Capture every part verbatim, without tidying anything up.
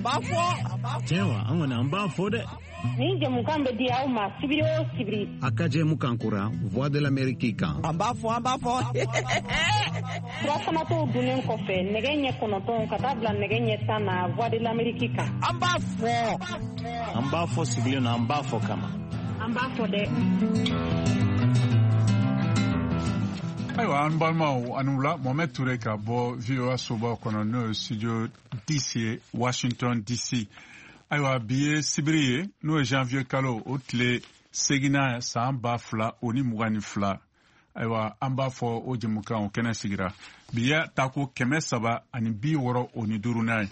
An b'a fɔ. Tiɲɛ wa, an kɔni an b'a fɔ dɛ. Nin jɛmukan bɛ di aw ma sibiri o sibiri. A ka jɛmukan kura Voix de l'Amérique kan. An b'a fɔ, an b'a fɔ. Furafanatɔw dunnen kɔfɛ nɛgɛ ɲɛ kɔnɔntɔn ka taa bila nɛgɛ ɲɛ tan na Voix de l'Amérique kan. An b'a fɔ. An b'a fɔ sigilen na, an b'a fɔ kama. An b'a fɔ dɛ. Ayiwa, an balimaw, ani wula. Mohamed Toure ka bɔ V O A soba kɔnɔ, n'o ye studio D C ye, Washington D C. Ayiwa, bi ye sibiri ye, n'o ye janvier kalo o tile seginna, san ba fila o ni mugan ni fila. Ayiwa, an b'a fɔ o jɛmukan o kɛnɛ sigira bi ya tako kɛmɛ saba ani bi wɔɔrɔ o ni duurunan ye.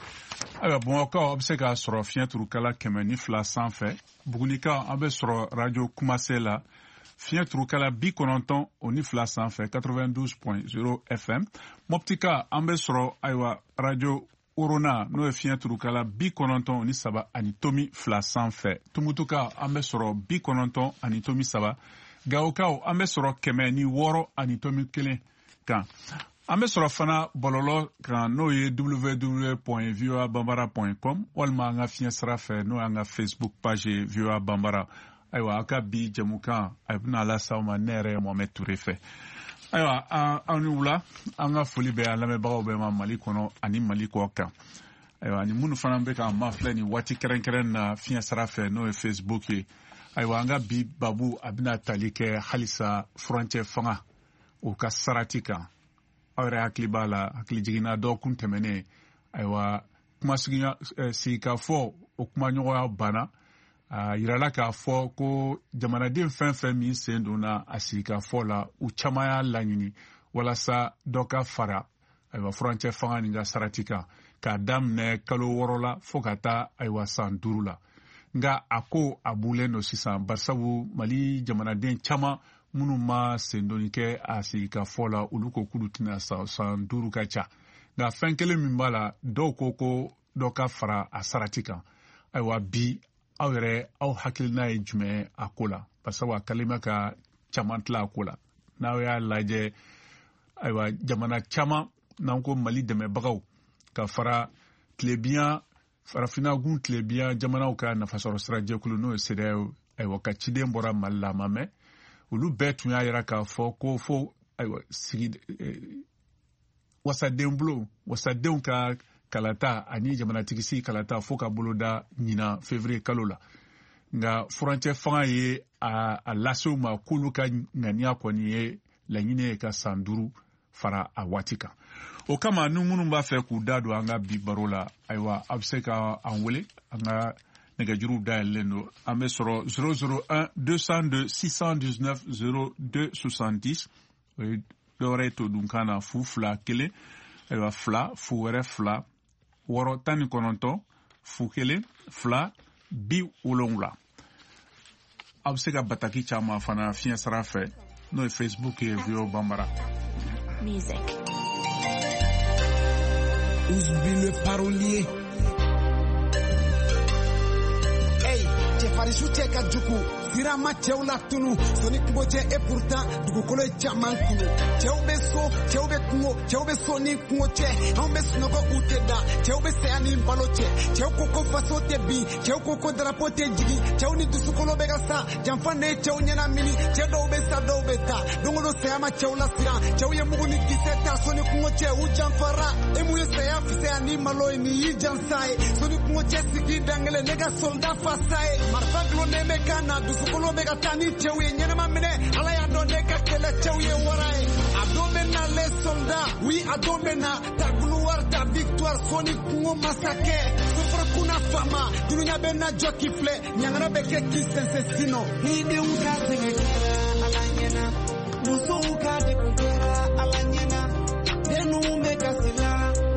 Ayiwa, Bamakɔkaw, aw bɛ se k'a sɔrɔ fiɲɛ turukala kɛmɛ ni fila sanfɛ. Bugunikaw, an bɛ sɔrɔ radio Kumase la, fiɲɛ turukala bi kɔnɔntɔn o ni fila sanfɛ, quatre-vingt-douze point zéro F M. Mɔptika, an bɛ sɔrɔ, ayiwa, radio Orona, n'o ye fiɲɛ turukala bi kɔnɔntɔn ni saba ani tomi fila sanfɛ. Tumutuka, an bɛ sɔrɔ bi kɔnɔntɔn ani tomi saba. Gawokaw, an bɛ sɔrɔ kɛmɛ ni wɔɔrɔ ani tomi kelen kan. An bɛ sɔrɔ fana bɔlɔlɔ kan, n'o ye W W W point voa bambara point com, walima an ka fiɲɛ sira fɛ, n'o y'an ka Facebook page ye, V O A Bambara. Ayiwa, a ka bi jɛmukan a bɛna las'aw ma ne yɛrɛ Mohamed Toure fɛ. Ayiwa, aw ni wula. An ka foli bɛ an lamɛnbagaw bɛɛ ma Mali kɔnɔ ani Mali kɔ kan. Ayiwa, ani minnu fana bɛ k'an mafilɛ nin waati kɛrɛnkɛrɛn na fiɲɛ sira fɛ, n'o ye Facebook ye. Ayiwa, an ka bi babu a bɛna tali kɛ halisa furancɛ fanga o ka sarati kan. Aw yɛrɛ hakili b'a la, hakili jiginna dɔgɔkun tɛmɛnen, ayiwa, kuma sigikafɔ o kumaɲɔgɔnya banna. A yirala k'a fɔ ko jamanaden fɛn fɛn min sen donna a sigikafɔ la, u caman y'a laɲini walasa dɔ ka fara, ayiwa, furancɛ fanga nin ka sarati kan, k'a daminɛ kalo wɔɔrɔ la fo ka taa, ayiwa, san duuru la. Nka a ko a bulen don sisan, barisabu Mali jamanaden caman minnu ma sendonni kɛ a sigikafɔ la, olu ko k'olu tɛna san, san duuru ka ca. Nka fɛn kelen min b'a la, dɔw ko ko dɔ ka fara a sarati kan. Ayiwa, bi aw yɛrɛ, aw hakilina ye jumɛn a ko la? Barisabu a kɛlen bɛ ka caman tila a ko la. N'aw y'a lajɛ, ayiwa, jamana caman n'an ko Mali dɛmɛbagaw ka fara tilebiyan Farafinna gun tilebiyan jamanaw ka nafasɔrɔ sira jɛkulu, n'o ye CEDEAO, ayiwa, ka ciden bɔra Mali la, a ma mɛn, olu bɛɛ tun y'a yira k'a fɔ ko fo, ayiwa, sigi wasaden bulon, wasadenw ka kalata ani jamanatigisigi kalata fo ka boloda ɲinan février kalo la. Nka furancɛ fanga ye a, a lase u ma k'olu ka ŋaniya kɔni ye laɲini ye ka san duuru fara a waati kan. O kama, ni minnu b'a fɛ k'u da don an ka bi baro la, ayiwa, a bɛ se ka an wele, an ka nɛgɛjuruw dayɛlɛlen don. An bɛ sɔrɔ zéro zéro un deux cent deux six cent dix-neuf zéro deux soixante-dix. O ye dɔwɛrɛ ye todunkan na, fu fila kelen, ayiwa, fila fu wɛrɛ fila wɔɔrɔ tan ni kɔnɔntɔn fu kelen fila bi wolonwula. Aw bɛ se ka bataki caman fana fiɲɛ sira fɛ, n'o ye Facebook ye, V O A Bambara. Music. Ousbi le parolier. Hey, cɛfarinsu cɛ ka jugu, sira ma cɛw la tunu soni kungo cɛ. Et pourtant dugukolo ye caman kunu. Cɛw bɛ so, cɛw bɛ kungo, cɛw bɛ so ni kungo cɛ. Anw bɛ sunɔgɔ, u tɛ da. Cɛw bɛ saya ni balo cɛ. Cɛw ko ko faso tɛ bin, cɛw ko ko darapo tɛ jigin. Cɛw ni dusukolo bɛ ka sa, janfa ne ye cɛw ɲɛnamini. Cɛ dɔw bɛ sa, dɔw bɛ taa. Don o don saya ma cɛw lasiran. Cɛw ye mugu ni kisɛ ta soni kungo cɛ, u janfara. E mun ye saya fisaya ni malo ye, nin y'i jansa ye. Soni kungo cɛ sigi dankelen, ne ka soldat fasa ye. Marifa gulonnen bɛ kan na, dusukolo bɛ ka taa ni cɛw ye. Ɲɛnɛma minɛ, Ala y'a dɔn ne ka kɛlɛ cɛw ye wara ye. A don bɛ na, les soldats, oui, a don bɛ na. Ta gloire, ta victoire, soni kungo masakɛ. Soforo kunna fama, dunuya bɛ na jɔ k'i filɛ. Ɲangara bɛ kɛ k'i sɛnsɛn sinɔ. Ni denw ka sɛgɛn kɛra Ala ɲɛna, musow ka degun kɛra Ala ɲɛna, dennu bɛ kasi la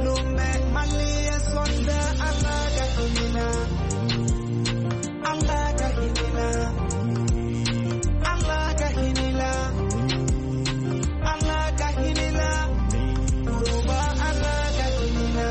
lon bɛɛ. Maliyɛn soldat, Ala ka hinɛ na, Ala ka hinɛ na, Ala ka hinɛ la, Ala ka hinɛ la, Koroba, Ala ka hinɛ la.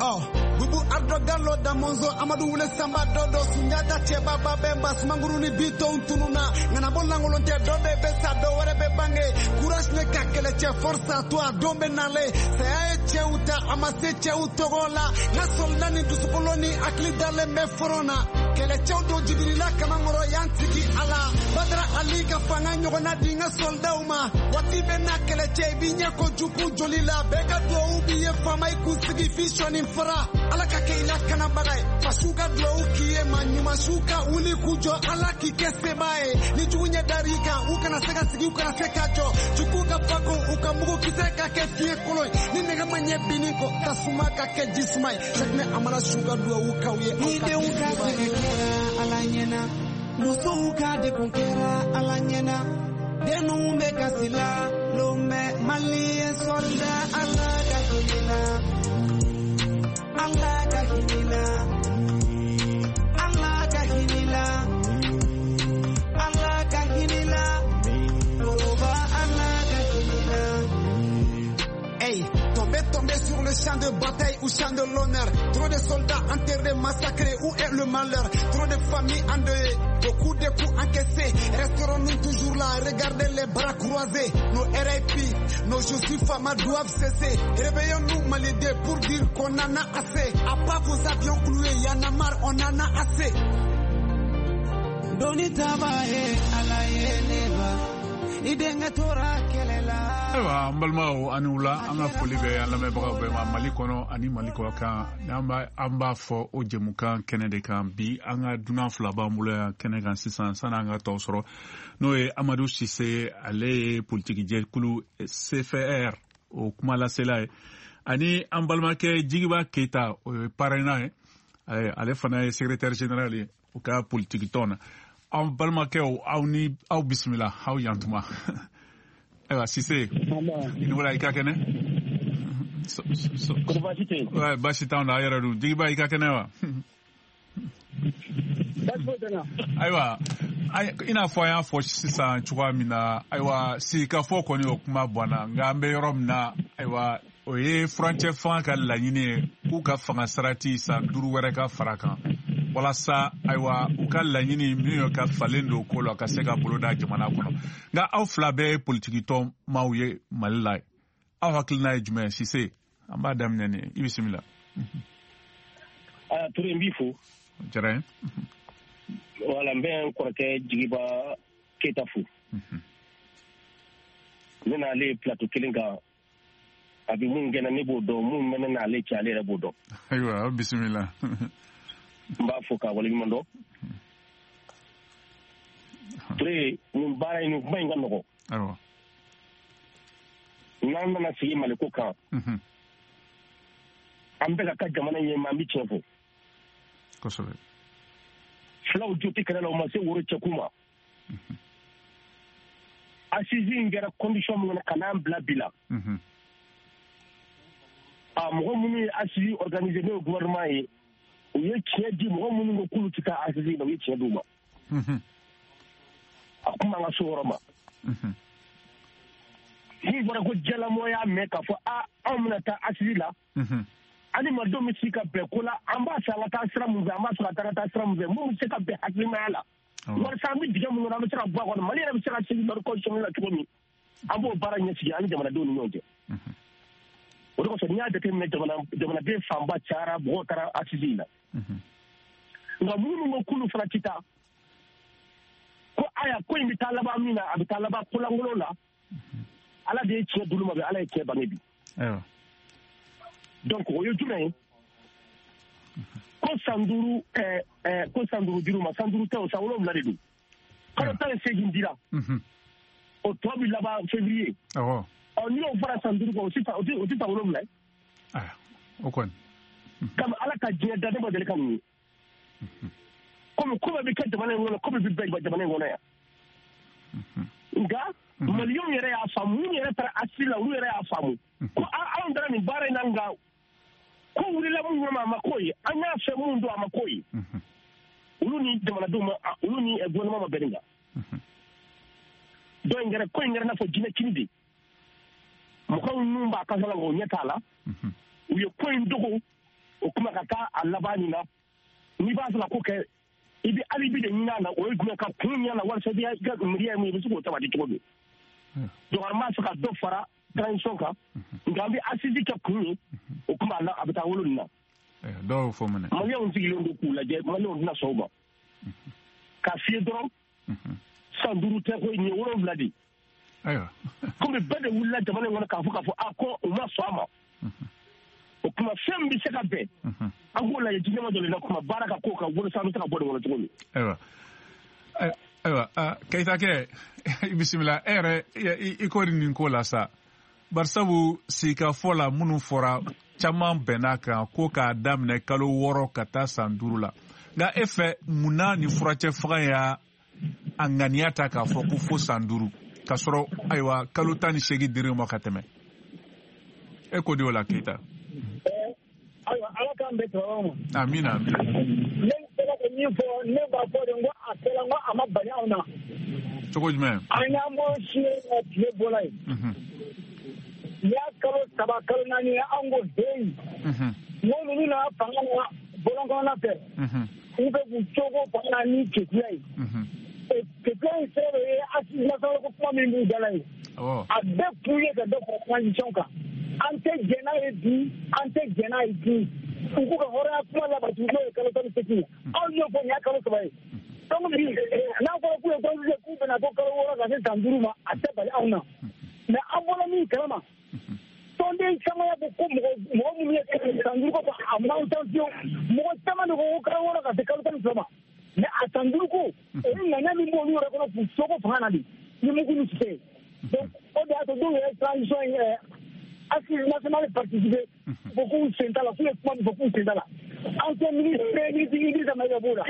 Oh, Bubu Ardo Gallo da Monzo Amadou Wule Samba Dodo Sunjata Cɛba Babɛnba Sumanguru ni Bitɔn tununa. Ŋanabɔ lankolon tɛ, dɔ de bɛ sa, dɔ wɛrɛ bɛ bange. Courage ne ka kɛlɛcɛ, force à toi, don bɛ nalen. Saya ye cɛw ta. a ma se cɛw tɔgɔ la n ka soldat ni dusukolo ni hakili dalen bɛ front na kɛlɛcɛw don Jibirila kamankɔrɔ y'an tigi ala Badara Ali ka fanga ɲɔgɔnna di n ka soldatw ma waati bɛ na kɛlɛcɛ i b'i ɲɛ ko jugu joli la bɛɛ ka duwawu b'i ye faama i kun sigi f'i sɔnni fara ala ka kɛ i lakanabaga ye fasiw ka duwawu k'i ye maa ɲuman siw ka wuli k'u jɔ ala k'i kɛ sebaa ye ni jugu ɲɛ dar'i kan u kana se ka sigi u kana se ka jɔ jugu ka fako u ka mugu kisɛ ka kɛ fiɲɛ kolon ye ni nɛgɛ ma ɲɛ binni kɔ tasuma ka kɛ jisuma ye Sakinɛ Amara su ka duwawu k'aw ye aw ka kɛ sebaa ye. Ala ɲɛna musow ka degun kɛra ala ɲɛna denw bɛ kasi la lomɛ maliyɛn soldat ala ka hinɛ la ala ka hinɛ la ala ka hinɛ la ala ka hinɛ la koroba ala ka hinɛ la. Hey, tombé, tombé sur le champ de bataille ou champ de l'honneur. Trop de soldats enterrés, massacrés, où est le malheur? Trop de familles endeuillées, beaucoup de coups encaissés. Resterons-nous toujours là, regardez les bras croisés. Nos R I P, nos je suis Fama doivent cesser. Réveillons-nous, Malidé, pour dire qu'on en a assez. À pas vos avions cloués, y'en a marre, on en a assez. Doni tabaye, alaye neba. Ayiwa an balimaw ani wula an ka foli bɛ an lamɛnbagaw bɛɛ ma Mali kɔnɔ ani Mali kɔ kan n'an b'a an b'a fɔ o jɛmukan kɛnɛ de kan bi an ka dunan fila b'an bolo yan kɛnɛ kan sisan sanni an ka tɔw sɔrɔ n'o ye Amadu Sise ale ye politikijɛkulu C F R o kumalasela ye ani an balimakɛ Jigiba Keyita o ye parrainant ye ale fana ye secrétaire général ye o ka politikitɔn na. Aw balimakɛw aw ni aw bisimila aw yantuma. Ayiwa Sise i ni wula i ka kɛnɛ? Baasi t'anw na a yɛrɛ dun Jigiba i ka kɛnɛ wa? Ayiwa i n'a fɔ an y'a fɔ sisan cogoya min na ayiwa sigikafɔ kɔni o kuma banna nka an bɛ yɔrɔ min na ayiwa o ye furancɛ fanga ka laɲini ye k'u ka fanga sarati san duuru wɛrɛ ka fara kan walasa ayiwa u ka laɲini min ye ka falen don ko la ka se ka bolo da jamana kɔnɔ nka aw fila bɛɛ ye politikitɔn maaw ye Mali la aw hakilina ye jumɛn ye Sise an b'a daminɛ ni i bisimila. Aa Ture n b'i fo. Diyara n ye. Wala n bɛ n kɔrɔkɛ Jigiba Keyita fo. Ne n'ale ye plateau kelen kan a bɛ mun kɛ ne b'o dɔn mun bɛ ne n'ale cɛ ale yɛrɛ b'o dɔn. Ayiwa aw bisimila. N b'a fo k'a waleɲuman dɔn. Ture nin baara in nin kuma in ka nɔgɔn. Awɔ. N'an nana sigi Maliko kan. An bɛ ka ka jamana ɲɛmaa an bɛ tiɲɛ fɔ. Kosɛbɛ. Filaw jo tɛ kɛlɛ la o ma se woro cɛkun ma. Assise in kɛra condition min kɔnɔ ka n'an bila bi la. A mɔgɔ minnu ye assise organisé n'o ye gouvernement ye. U ye tiɲɛ di mɔgɔ minnu ko k'olu tɛ taa assise la u ye tiɲɛ d'u ma. A kuma an ka so yɔrɔ ma. Min fɔra ko jɛlamɔgɔ y'a mɛn k'a fɔ a anw bɛna taa assise la. Ani madenw bɛ se ka bɛn ko la an b'a fɛ an ka taa sira mun fɛ an b'a fɛ ka taa ka taa sira mun fɛ mun bɛ se ka bɛn hakilimaya la. Walasa an bɛ dingɛ mun kɔnɔ an bɛ se ka bɔ a kɔnɔ Mali yɛrɛ bɛ se ka segin lɔri constitutionnel la cogo min an b'o baara ɲɛsigi an ni jamanadenw ni ɲɔgɔn cɛ. O de kosɔn n'i y'a jateminɛ jamana jamanaden fanba cayara mɔgɔw taara assise in na. Nka minnu ko k'olu fana tɛ taa ko aya ko in bɛ taa laban min na a bɛ taa laban kolankolon la ala de ye tiɲɛ d'olu ma bi ala ye tiɲɛ bange bi. Donc o ye jumɛn ye ko san duuru ɛɛ ɛɛ ko san duuru dir'u ma san duuru tɛ o san wolonwula de don kalo tan ni seegin dira o tɔ bɛ laban février. Ɔ n'i y'o fara san duuru kan o tɛ o tɛ san wolonwula ye. O kɔni. Kami ala ka diɲɛ da ne ma deli ka nin ye. Komi ko bɛɛ bɛ kɛ jamana in kɔnɔ ko bɛɛ bɛ bɛn jamana in kɔnɔ yan. Nka maliyɛnw yɛrɛ y'a faamu minnu yɛrɛ taara assise la olu yɛrɛ y'a faamu ko anw taara nin baara in na nka ko wulila mun kama a ma k'o ye an y'a fɛ mun don a ma k'o ye olu ni jamanadenw ma olu ni gouvernement ma bɛn nin kan. Dɔ in kɛra ko in kɛra i n'a fɔ jinɛ kini de mɔgɔw minnu b'a kasala o ɲɛ t'a la u ye ko in dogo o kuma ka taa a laban nin na n'i b'a fɛ ka ko kɛ i bɛ alibi de ɲini a la o ye jumɛn ka kun ɲini a la walasa i ka miiriya ye mun ye i bɛ se k'o sabati cogo di. Donc an b'a fɛ ka dɔ fara transition kan nka an bɛ assise kɛ kun ye o kuma a bɛ taa wolo nin na. Dɔw y'o fɔ minɛ. Maliyɛnw sigilen don k'u lajɛ maliyɛnw tɛna sɔn o ma. K'a f'i ye dɔrɔn san duuru tɛ koyi nin ye wolonwula de ye. Ayiwa. Komi bɛɛ de wulila jamana in kɔnɔ k'a fɔ k'a fɔ a ko u ma sɔn a ma. O kuma fɛn min bɛ se ka bɛn an k'o lajɛ diɲɛ dɔ de la kuma baara ka k'o kan walasa an bɛ se ka bɔ nin kɔnɔ cogo min. Ayiwa. Ayiwa Keita kɛ i bisimila e yɛrɛ i ko nin ko la sa barisabu sigikafɔ la minnu fɔra caman bɛnna kan ko k'a daminɛ kalo wɔɔrɔ ka taa san duuru la nka e fɛ mun na nin furacɛ fanga y'a a ŋaniya ta k'a fɔ ko fo san duuru k'a sɔrɔ ayiwa kalo tan ni seegin dir'e ma ka tɛmɛ e ko di o la Keita. Ayiwa ala k'an bɛn sababu ma. Amina amina. Ne sera ka min fɔ ne b'a fɔ de n ko a kɛra n ko a ma bali anw na. Cogo jumɛn? An y'an bɔ si na tile bɔla yen. N'i y'a kalo saba kalo naani ye an ko heyi. N ko ninnu nana fanga na bɔlɔn kɔnɔna fɛ. U bɛ k'u cogo fanga na ni kekuya ye. Kekuya in sera de ye assise nationale ko kuma min b'u da la ye. A bɛɛ kun ye ka dɔ fara transition kan. An tɛ jɛn n'a ye bi an tɛ jɛn n'a ye bi u k'u ka hɔrɔnya kuma labatu n'o ye kalo tan ni seegin ye anw y'o fɔ nin y'a kalo saba ye donc bi n'a fɔra k'u ye transition k'u bɛna to kalo wɔɔrɔ ka se san duuru ma a tɛ bali anw na mais an bɔra min kalama tɔnden caman y'a fɔ ko mɔgɔ mɔgɔ minnu ye san duuru ko fɔ a m'anw tan fiyewu mɔgɔ caman de ko ko kalo wɔɔrɔ ka se kalo tan ni fila ma mais a san duuru ko o ye ŋaniya min b'olu yɛrɛ kɔnɔ k'u soko fanga na de ni mugu ni kisɛ ye donc o de y'a to dɔw yɛrɛ transition in assise nationale participer ko k'u sen t'a la k'u ye kuma min fɔ k'u sen t'a la ancien ministre ministre Idrissa Maïga b'o la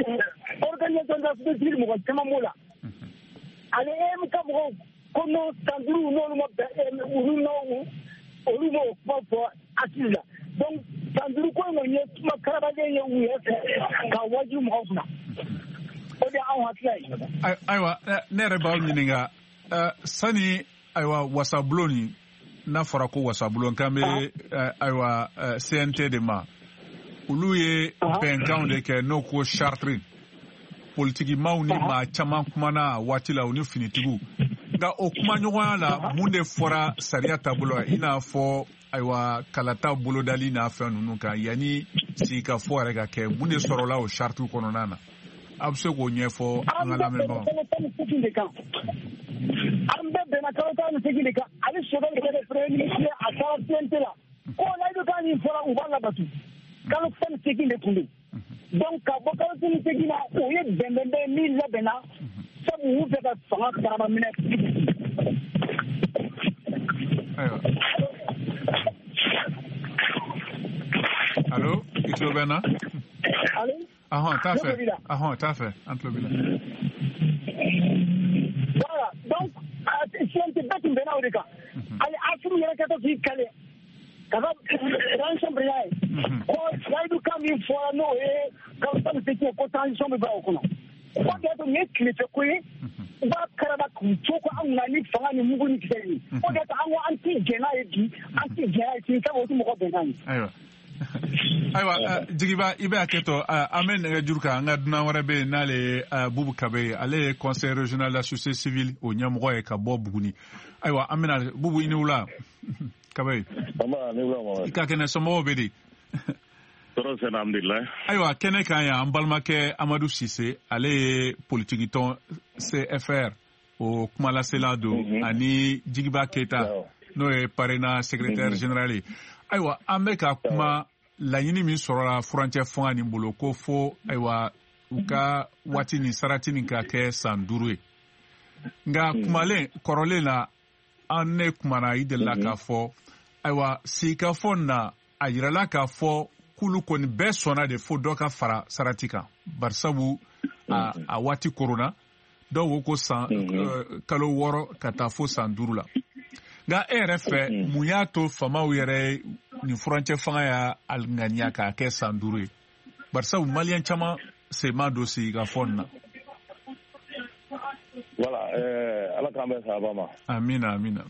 organisation de la société civile mɔgɔ caman b'o la ani E M K mɔgɔw ko non san duuru n'olu ma bɛn olu n'o olu m'o kuma fɔ assise la donc san duuru ko in kɔni ye kuma karabaden ye u yɛrɛ fɛ ka wajibi mɔgɔw kunna o de y'anw hakilila ye. Ayiwa ne yɛrɛ b'aw ɲininka sani ayiwa wasabulon nin n'a fɔra ko wasabulon k'an bɛ ayiwa C N T de ma olu ye bɛnkanw de kɛ n'o ko charte politikimaw ni maa caman kumana a waati la u ni finitigiw nka o kumaɲɔgɔnya la mun de fɔra sariya taabolo la i n'a fɔ ayiwa kalata bolodali n'a fɛn ninnu kan yanni sigikafɔ yɛrɛ ka kɛ mun de sɔrɔla o charte kɔnɔna na a bɛ se k'o ɲɛfɔ an ka lamɛnbagaw. An bɛɛ bɛnna kalo tan ni seegin de kan ani Choguel kɛra premier ministre a taara C N T la ko layidu kan min fɔra u b'a labatu kalo tan ni seegin de tun don donc ka bɔ kalo tan ni seegin na o ye bɛnbɛnbɛn min labɛnna sabu u fɛ ka fanga karaba minɛ. Ayiwa allo i tulo bɛ n na. Allo. Ahɔn t'a fɛ ahɔn t'a fɛ an tulo b'i la. Voilà, donc C N T bɛɛ tun bɛnna o de kan hali Assimi yɛrɛ kɛtɔ k'i kale ka ka transition président ye ko layidu kan min fɔra n'o ye kalo tan ni seegin ye ko transition bɛ bila o kɔnɔ o de y'a to nin ye tilefɛ ko ye u b'a karaba k'u to ko an kunna ni fanga ni mugu ni kisɛ ye o de y'a to an ko an ti jɛn n'a ye bi an ti jɛn n'a ye sini sabu o ti mɔgɔ bɛn n'a ye. Ayiwa. Ayiwa Jigiba i bɛ hakɛ to an bɛ nɛgɛjuru kan an ka dunan wɛrɛ bɛ yen n'ale ye Bubu Kabe ye ale ye conseil régional de la société civile o ɲɛmɔgɔ ye ka bɔ Buguni ayiwa an bɛna Bubu i ni wula Kabe. I ka kɛnɛ somɔgɔw bɛ di. Tɔɔrɔ sɛnɛ alhamdulilayi. Ayiwa kɛnɛ kan yan an balimakɛ Amadu Sise ale ye politikitɔn C F R o kumalasela don ani Jigiba Keyita n'o ye PARENA secrétaire général ye. Ayiwa an bɛ ka kuma laɲini min sɔrɔla furancɛ fanga nin bolo ko fo ayiwa u ka waati nin sarati nin ka kɛ san duuru ye nka kumalen kɔrɔlen la an ne kumana i delila k'a fɔ ayiwa sigikafɔ na a yirala k'a fɔ k'olu kɔni bɛɛ sɔnna de fo dɔ ka fara sarati kan barisabu a, a waati korona dɔw ko ko san kalo wɔɔrɔ ka taa fo san duuru la nka e yɛrɛ fɛ mun y'a to faamaw yɛrɛ nin furancɛ fanga y'a ŋaniya k'a kɛ san duuru ye barisabu maliyɛn caman sen ma don sigikafɔ nin na. Voilà, euh, ala k'an bɛn sababa ma. Amina amina.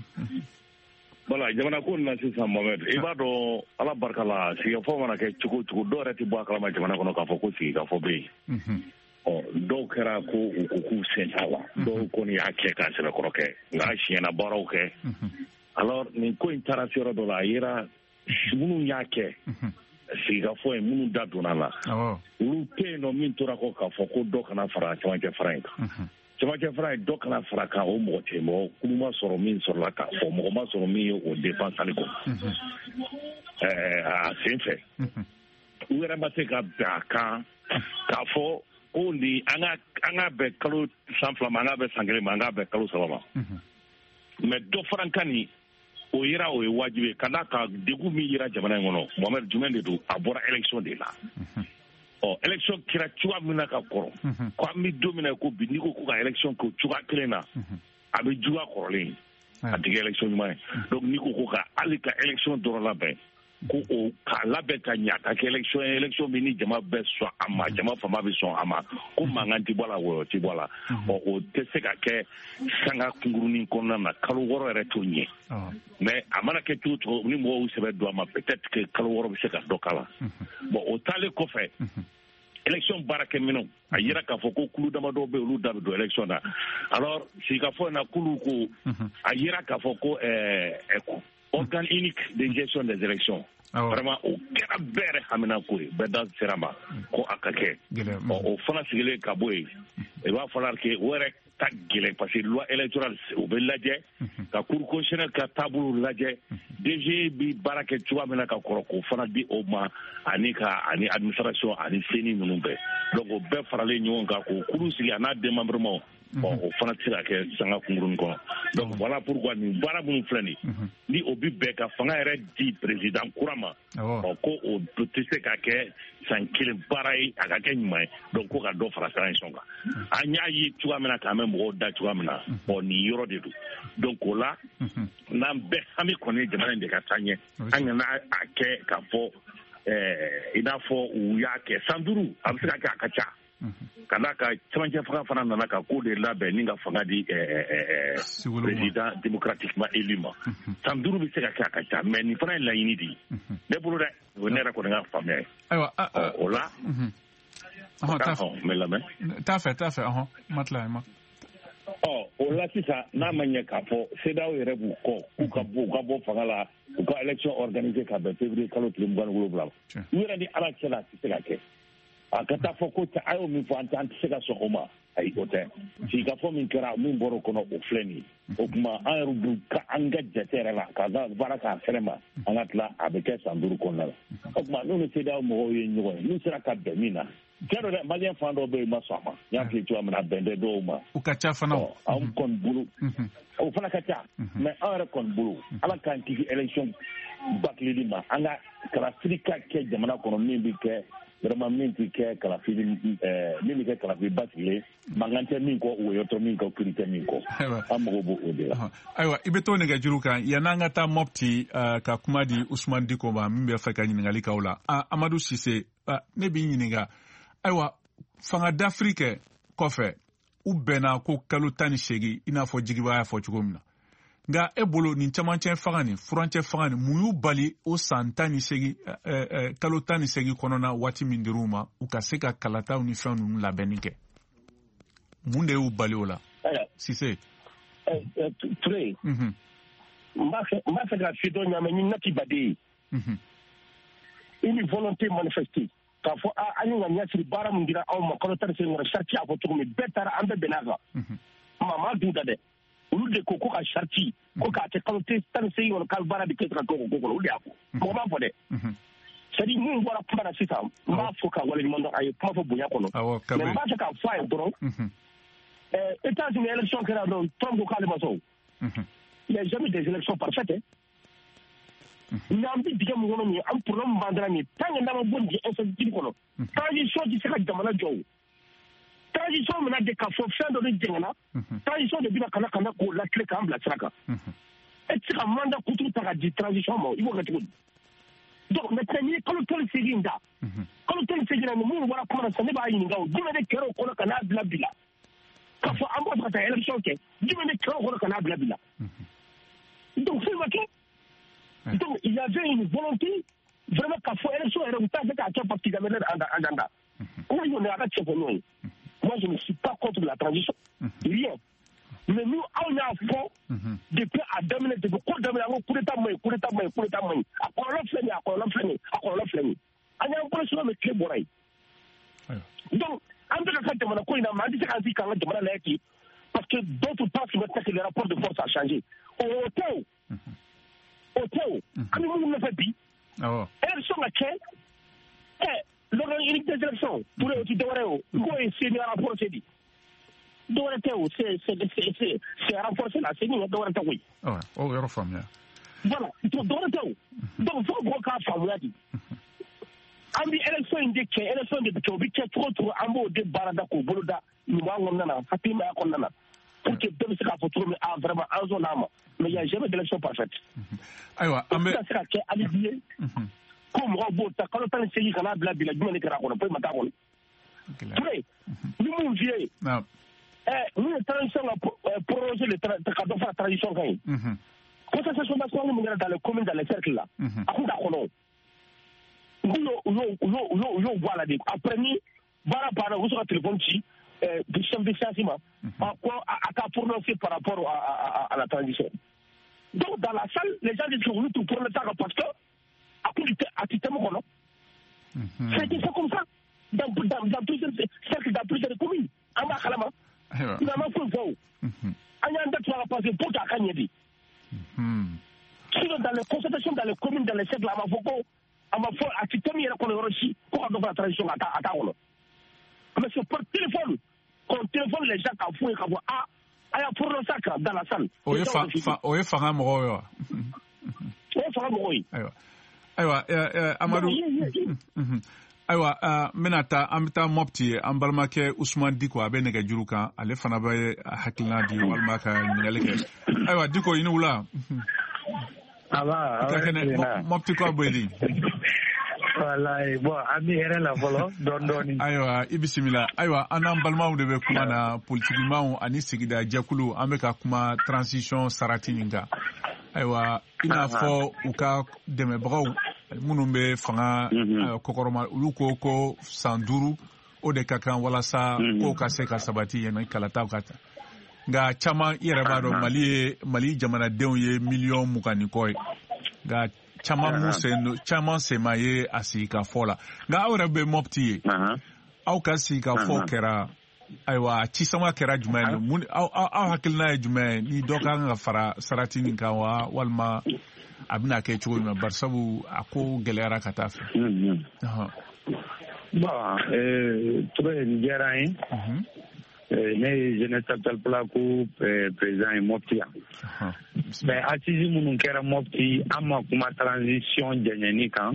Voilà, jamana ko nin na sisan Mohamed i b'a dɔn ala barika la sigikafɔ mana kɛ cogo o cogo dɔw yɛrɛ tɛ bɔ a kalama jamana kɔnɔ k'a fɔ ko sigikafɔ bɛ yen. Ɔ dɔw kɛra ko u ko k'u sen t'a la dɔw kɔni y'a kɛ k'a sɛbɛkɔrɔ kɛ nka a siɲɛna baaraw kɛ. Alors nin ko in taara se yɔrɔ dɔ la, a yera minnu y'a kɛ sigikafɔ ye, minnu da donna a la, olu tɛ yen nɔ min tora kɔ k'a fɔ ko dɔ kana fara cɛmancɛ fara in kan. Cɛmancɛ fara in dɔ kana fara kan, o mɔgɔ tɛ, mɔgɔ kulu ma sɔrɔ min sɔrɔla k'a fɔ, mɔgɔ ma sɔrɔ min ye o défense hali kɔ a sen fɛ. U yɛrɛ ma se ka bɛn a kan k'a fɔ ko nin an ka an ka bɛn kalo san fila ma, an ka bɛn san kelen ma, an ka bɛn kalo saba ma. Mais dɔ fara kan nin, o yera o ye wajibi ye ka d'a kan degun min yera jamana in kɔnɔ, Mohamed, jumɛn de don? A bɔra élection de la. Ɔ élection kɛra cogoya min na ka kɔrɔ, ko an bɛ don min na ko bi, n'i ko ko ka élection kɛ o cogoya kelen na, a bɛ juguya kɔrɔlen, a tɛ kɛ élection ɲuman ye. Donc n'i ko ko ka hali ka élection dɔrɔn labɛn, ko o k'a labɛn ka ɲa ka kɛ élection ye, élection min ni jama bɛɛ sɔn a ma, jama fanba bɛ sɔn a ma, ko mankan ti bɔ a la, wɔyɔ ti bɔ a la, ɔ o tɛ se ka kɛ sanga kunkurunin kɔnɔna na, kalo wɔɔrɔ yɛrɛ t'o ɲɛ. Mais a mana kɛ cogo cogo, ni mɔgɔw sɛbɛ don a ma, peut-être que kalo wɔɔrɔ bɛ se ka dɔ k'a la. Bon o taalen kɔfɛ, élection baarakɛminɛnw, a yira k'a fɔ ko kulu damadɔ bɛ olu da bɛ don élection na. Alors sigikafɔ in na, kulu ko a yira k'a fɔ ko ɛɛ organe unique de gestion des élections, vraiment o kɛra bɛɛ yɛrɛ haminako ye, bɛɛ da sera ma ko a ka kɛ. Ɔ o fana sigilen ka bɔ yen, i b'a fɔ que o yɛrɛ ta gɛlɛn, parce que loi électorale o bɛ lajɛ, ka cour constitutionnelle ka taabolo lajɛ, D G bi baara kɛ cogoya min na ka kɔrɔ, k'o fana di o ma, ani ka ani administration ani CENI ninnu bɛɛ. Donc o bɛɛ faralen ɲɔgɔn kan k'o kuru sigi a n'a démembrement, bon o fana tɛ se ka kɛ sanga kunkurunin kɔnɔ. Donc voilà pourquoi nin baara minnu filɛ nin, ni o bi bɛn ka fanga yɛrɛ di président kura ma, ɔ ko o tɛ se ka kɛ san kelen baara ye, a ka kɛ ɲuman ye. Donc ko ka dɔ fara transition kan, an y'a ye cogoya min na k'an bɛ mɔgɔw da cogoya min na, ɔ nin yɔrɔ de don. Donc o la, n'an bɛɛ hami kɔni ye jamana in de ka taa ɲɛ, an kana a kɛ k'a fɔ i n'a fɔ u y'a kɛ san duuru, a bɛ se ka kɛ a ka ca. Ka d'a kan cɛmancɛ fanga fana nana ka ko de labɛn ni ka fanga di président démocratiquement élu ma. San duuru bɛ se ka kɛ a ka ca, mais nin fana ye laɲini de ye ne bolo dɛ, o ye ne yɛrɛ kɔni ka faamuya ye. Ayiwa, o la n bɛ lamɛn. T'a fɛ, t'a fɛ, ɔhɔn, ma tila ma. Ɔ o la sisan, n'a ma ɲɛ k'a fɔ CEDEAO yɛrɛ b'u kɔ k'u ka bɔ u ka bɔ fanga la, u ka élection organisée ka bɛn février kalo tile mugan ni wolonwula ma, u yɛrɛ ni Ala cɛ la, a tɛ se ka kɛ. A ka taa fɔ ko a y'o min fɔ, an tɛ an tɛ se ka sɔn o ma, ayi o tɛ. Sigikafɔ min kɛra, min bɔra o kɔnɔ, o filɛ nin ye. O tuma an yɛrɛ dun ka an ka jate yɛrɛ la k'a ka baara k'a fɛrɛ ma, an ka tila a bɛ kɛ san duuru kɔnɔna la. O tuma n'u ni CEDEAO mɔgɔw ye ɲɔgɔn ye, n'u sera ka bɛn min na, tiɲɛ don dɛ, maliyɛn fan dɔw bɛ yen ma sɔn a ma, n y'a f'i ye cogoya min na, a bɛn tɛ dɔw ma. O ka ca fana. Anw kɔni bolo, o fana ka ca, mais anw yɛrɛ kɔni bolo, Ala k'an kisi élection bâcleli ma, an ka kalafili ka kɛ jamana kɔnɔ min bɛ kɛ vraiment min tɛ kɛ kalafili min bɛ kɛ kalafili basigilen, mankan tɛ min kɔ, wɔyɔ tɛ min kɔ, kiri tɛ min kɔ, an mago b'o de la. Ayiwa, i bɛ to nɛgɛjuru kan yann'an ka taa Mopti ka kuma di Usumani Diko ma min bɛ fɛ ka ɲininkali k'aw la. Amadu Sise, ne b'i ɲininka, ayiwa fanga dafiri kɛ kɔfɛ, u bɛnna ko kalo tan ni seegin, i n'a fɔ Jigiba y'a fɔ cogo min na. Nka e bolo nin camancɛ fanga nin, furancɛ fanga nin, mun y'u bali o san tan ni seegin, kalo tan ni seegin kɔnɔna waati min dir'u ma, u ka se ka kalataw ni fɛn ninnu labɛnni kɛ? Mun de y'u bali o la? Sise. Ture, n b'a fɛ ka fi dɔ ɲaamɛ ni nati baden ye. Une volonté manifestée k'a fɔ an ye ŋaniya siri baara min dira anw ma kalo tan ni seegin kɔnɔ, sariti y'a fɔ cogo min, bɛɛ taara, an bɛɛ bɛnn'a kan. Maa ma dun da dɛ. Olu de ko ko ka sariti ko k'a kɛ kalo tan ni seegin kɔnɔ, k'a baara bɛ kɛ ka kɛ o ko kɔnɔ, olu de y'a fɔ. Mɔgɔ m'a fɔ dɛ. C'est à dire min bɔra kuma na sisan, n b'a fɔ ka waleɲuman dɔn, a ye kuma fɔ bonya kɔnɔ. Mais n b'a fɛ k'a fɔ a ye dɔrɔn, États-Unis élection kɛra dɔrɔn, Trump ko k'ale ma sɔn. Il n'y a jamais des élections parfaites. Mais an bɛ dingɛ min kɔnɔ nin ye, an problème b'an da nin ye, tant que n'an ma bɔ nin incertitude kɔnɔ, transition tɛ se ka jamana jɔ o. Transition mina de k'a fɔ fɛn dɔ de jɛngɛnna, transition de bɛna ka na ka na k'o lakile k'an bila sira kan. E tɛ se ka mandat kuturu ta ka di transition ma, i b'o kɛ cogo di? Donc maintenant n'i ye kalo tan ni seegin da, kalo tan ni seegin na ni minnu bɔra kuma na sisan, ne b'a ɲininka o, jumɛn de kɛra o kɔnɔ ka n'a bila bi la? K'a fɔ an b'a fɛ ka taa élection kɛ, jumɛn de kɛra o kɔnɔ ka n'a bila bi la? Donc foyi ma kɛ. Donc il y avait une volonté vraiment k'a fɔ élection yɛrɛ u t'a fɛ k'a kɛ parce qu'ils avaient l'air agenda. Moi, je ne suis pas contre la transition. Rien. Mais nous, on a y'a fɔ depuis a daminɛ depuis ko daminɛ an ko coup d'état man ɲi coup d'état man ɲi coup d'état man ɲi a kɔlɔlɔ filɛ nin ye a kɔlɔlɔ filɛ nin ye a kɔlɔlɔ filɛ nin ye an y'an bolo suma min tile bɔra yen donc an bɛ ka ka jamana ko in na mais an tɛ se k'an sigi k'an ka jamana lajɛ ten parce que d'autres pensent maintenant que le rapport de force a changé o tɛ o o tɛ o an bɛ minnu nɔfɛ bi élection ka kɛ ɛ l'organe unique des élections Touré o ti dɔwɛrɛ ye o n k'o ye CENI renforcé de dɔwɛrɛ tɛ o c'est c'est c'est c'est renforcé la CENI dɔwɛrɛ tɛ koyi. O yɔrɔ faamuya. Voilà dɔwɛrɛ tɛ o donc fo mɔgɔw k'a faamuya de an bɛ élection in de kɛ élection de bɛ kɛ o bɛ kɛ cogo o cogo an b'o de baara da k'o bolo da ɲuman kɔnɔna na hakilimaya kɔnɔna na pour que bɛɛ bɛ se k'a fɔ cogo min ah vraiment an sɔnn'a ma mais il y a jamais d'élection parfaite. Ayiwa an bɛ. O tɛ se ka kɛ alibi ye. Ko mɔgɔw b'o ta kalo tan ni seegin ka n'a bila bi la jumɛn de kɛra a kɔnɔ foyi ma k'a kɔnɔ. Touré ni mun f'i ye. Ɛ mun ye transition ka proroger le ka dɔ fara transition kan ye. Concertation nationale min kɛra dans les communes dans les cercles là. A kun t'a kɔnɔ o. U y'o u y'o u y'o u y'o u y'o bɔ a la de après ni baara banna u bɛ sɔrɔ ka téléphone ci chef de séance ma. A ko a ka prononcer par rapport à, à, à la transition. Donc dans la salle les gens disent que olu t'u prononcer kan parce que a kun a ti tɛmɛ kɔnɔ. C'était ça comme ça dans dans dans plusieurs cercles dans plusieurs communes an b'a kalama. Mais an ma foyi fɔ o. An y'an da tu a la parce que pour que a ka ɲɛ de. Sinon dans les concertations dans les communes dans les cercles a ma fɔ ko a ma fɔ a ti tɛmɛ yɛrɛ kɔnɔ yɔrɔ si ko ka dɔ fara transition kan a t'a kɔnɔ. Mais c'est par téléphone qu'on téléphone les gens k'a f'u ye k'a fɔ ah a y'a prononcer a kan dans la salle. O ye fa o ye fanga mɔgɔw ye wa. O ye fanga mɔgɔw ye. Ayiwa. Ayiwa Amadu ayiwa n bɛna taa an bɛ taa Mopti ye an balimakɛ Usumani Diko a bɛ nɛgɛjuru kan ale fana bɛ hakilina di walima ka ɲininkali kɛ ayiwa Diko i ni wula. Aba i ka kɛnɛ Mopti kɔ bɛ di. Walayi bon an bɛ hɛrɛ la fɔlɔ dɔɔni dɔɔni. Ayiwa i bisimila ayiwa an n'an balimaw de bɛ kuma na politikimaw ani sigida jɛkulu an bɛ ka kuma transition sarati nin kan. Ayiwa i n'a fɔ u ka dɛmɛbagaw minnu bɛ fanga kɔkɔrɔma olu ko ko san duuru o de ka kan walasa kow ka se ka sabati yanni kalataw ka ta nka caman i yɛrɛ b'a dɔn Mali ye Mali jamanadenw ye miliyɔn mugan ni kɔ ye nka caman mun sen caman sen ma ye a sigikafɔ la nka aw yɛrɛ bɛ Mopti ye aw ka sigikafɔ kɛra ayiwa cisama kɛra jumɛn ye mun aw aw hakilina ye jumɛn ye ni dɔ ka kan ka fara sarati nin kan wa walima a bɛna kɛ cogo jumɛn barisabu a ko gɛlɛyara ka taa fɛ. Bon Touré nin diyara n ye ne ye jeunesse capital Pulaku président ye Mopti yan. Mais assise minnu kɛra Mopti an ma kuma transition jɛɲɛni kan.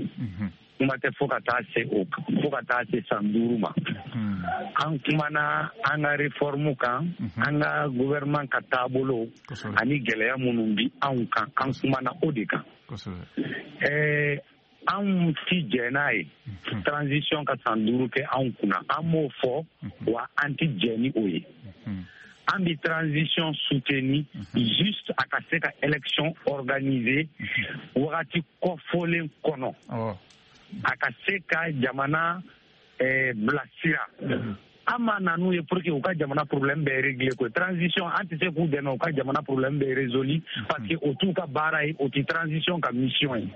Kuma tɛ fo ka taa se o fo ka taa se san duuru ma. An kumana an ka réforme kan an ka gouvernement ka taabolo ani gɛlɛya minnu bi anw kan an kumana o de kan. Ɛɛ anw ti jɛ n'a ye transition ka san duuru kɛ anw kunna an m'o fɔ wa an ti jɛ ni o ye. An bi transition soutenir juste a ka se ka élection organiser wagati kɔfɔlen kɔnɔ. A ka se ka jamana eh, bilasira. An ma na n'u ye pour que u ka jamana problème bɛɛ régler ko transition an tɛ se k'u dɛmɛ u ka jamana problème bɛɛ résolu parce que o t'u ka baara ye o tɛ transition ka mission ye.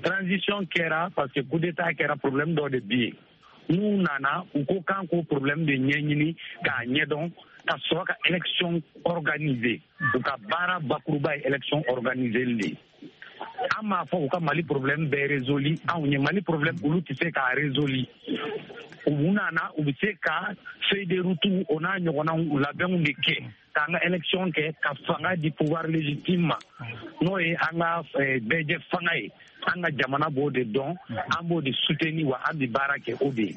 Transition kɛra parce que coup d'état kɛra problème dɔ de bi yen. N'u nana u ko k'an k'o problème de ɲɛɲini k'a ɲɛdɔn ka sɔrɔ ka élection organiser u ka baara bakuruba ye élection organiser de ye. An m'a fɔ u ka Mali problème bɛɛ résolu anw ye Mali problème olu tɛ se k'a résolu u nana u bɛ se ka feuille de route o n'a ɲɔgɔnnaw labɛnw de kɛ k'an ka élection kɛ ka fanga di pouvoir légitime ma n'o ye an ka bɛɛjɛ fanga ye an ka jamana b'o de dɔn an b'o de soutenir wa an bɛ baara kɛ o de ye.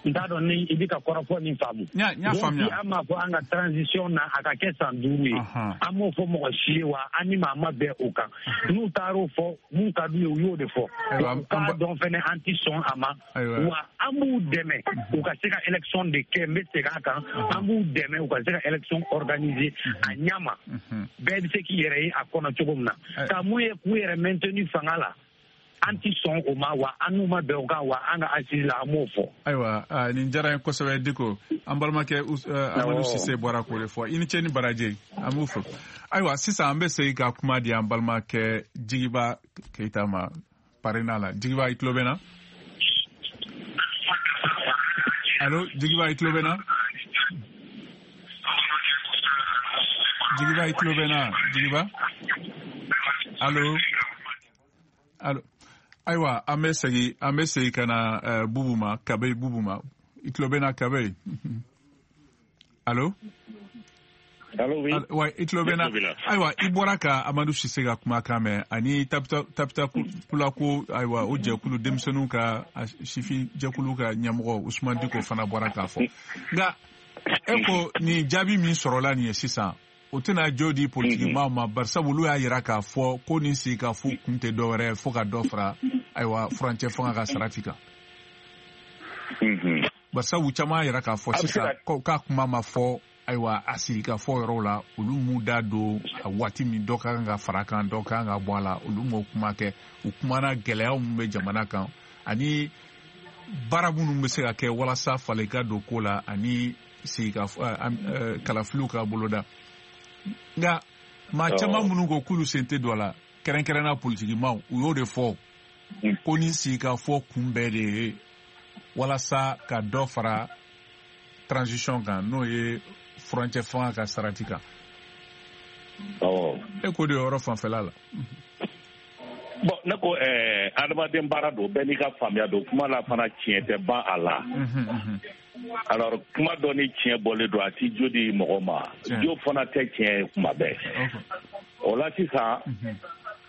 N t'a dɔn ni i bɛ ka kɔrɔfɔ nin faamu. Donc an m'a fɔ an ka transition na a ka kɛ san duuru ye an m'o fɔ mɔgɔ si ye wa an ni maa ma bɛn o kan n'u taar'o fɔ mun ka d'u ye u y'o de fɔ u k'a dɔn fɛnɛ an ti sɔn a ma wa an b'u dɛmɛ u ka se ka élection de kɛ n bɛ segin a kan an b'u dɛmɛ u ka se ka élection organiser a ɲɛ ma bɛɛ bɛ se k'i yɛrɛ ye a kɔnɔ cogo min na ka mun ye k'u yɛrɛ maintenir fanga la An ti sɔn o ma wa an n'u ma bɛn o kan wa an ka assise la an m'o fɔ. Ayiwa, nin diyara n ye kosɛbɛ Diko. An balimakɛ Amadu Sise bɔra k'o de fɔ. I ni ce ni baraji, an b'u fo. Ayiwa, sisan an bɛ segin ka kuma di an balimakɛ Jigiba Keyita ma Parena la. Jigiba, i tulo bɛ n na? Allo, Jigiba, i tulo bɛ n na? Jigiba, i tulo bɛ n na? Jigiba? Allo? Allo? Ayiwa, an bɛ segin an bɛ segin ka na uh, Bubu ma, Kabe Bubu ma. I tulo bɛ n na Kabe? Allo? Allo, oui. Wa i tulo bɛ n na? Ayiwa, i bɔra ka Amadu Sise ka kumakan mɛn ani Tapita Tapita Pulako, ayiwa, o jɛkulu denmisɛnninw ka sifin jɛkulu ka ɲɛmɔgɔ Usumani Diko fana bɔra k'a fɔ. Nka e ko nin jaabi min sɔrɔla nin ye sisan, o tɛna jo di politikimaw ma, barisabu olu y'a yira k'a fɔ ko nin sigikafo kun tɛ dɔwɛrɛ ye fo ka dɔ fara ayiwa furancɛ fanga ka sarati kan. Barisabu caman y'a yira k'a fɔ sisan k'a kuma ma fɔ ayiwa a sigikafɔ yɔrɔw la, olu m'u da don a waati min dɔ ka kan ka fara kan, dɔ ka kan ka bɔ a la, olu m'o kuma kɛ. U kumana gɛlɛyaw min bɛ jamana kan ani baara minnu bɛ se ka kɛ walasa falen ka don ko la ani sigikafɔ kalafiliw ka boloda. Nka maa caman minnu ko k'olu sen tɛ don a la, kɛrɛnkɛrɛnnenya politikimaw, u y'o de fɔ ko ni sigikafɔ kun bɛɛ de ye walasa ka dɔ fara transition kan, n'o ye furancɛ fanga ka sarati kan. E ko de yɔrɔ fanfɛla la. Bon, ne ko ɛɛ adamaden baara don, bɛɛ n'i ka faamuya don, kuma la fana tiɲɛ tɛ ban a la. Alors kuma dɔ ni tiɲɛ bɔlen don, a ti jo di mɔgɔ ma, jo fana tɛ tiɲɛ ye kuma bɛɛ. O la sisan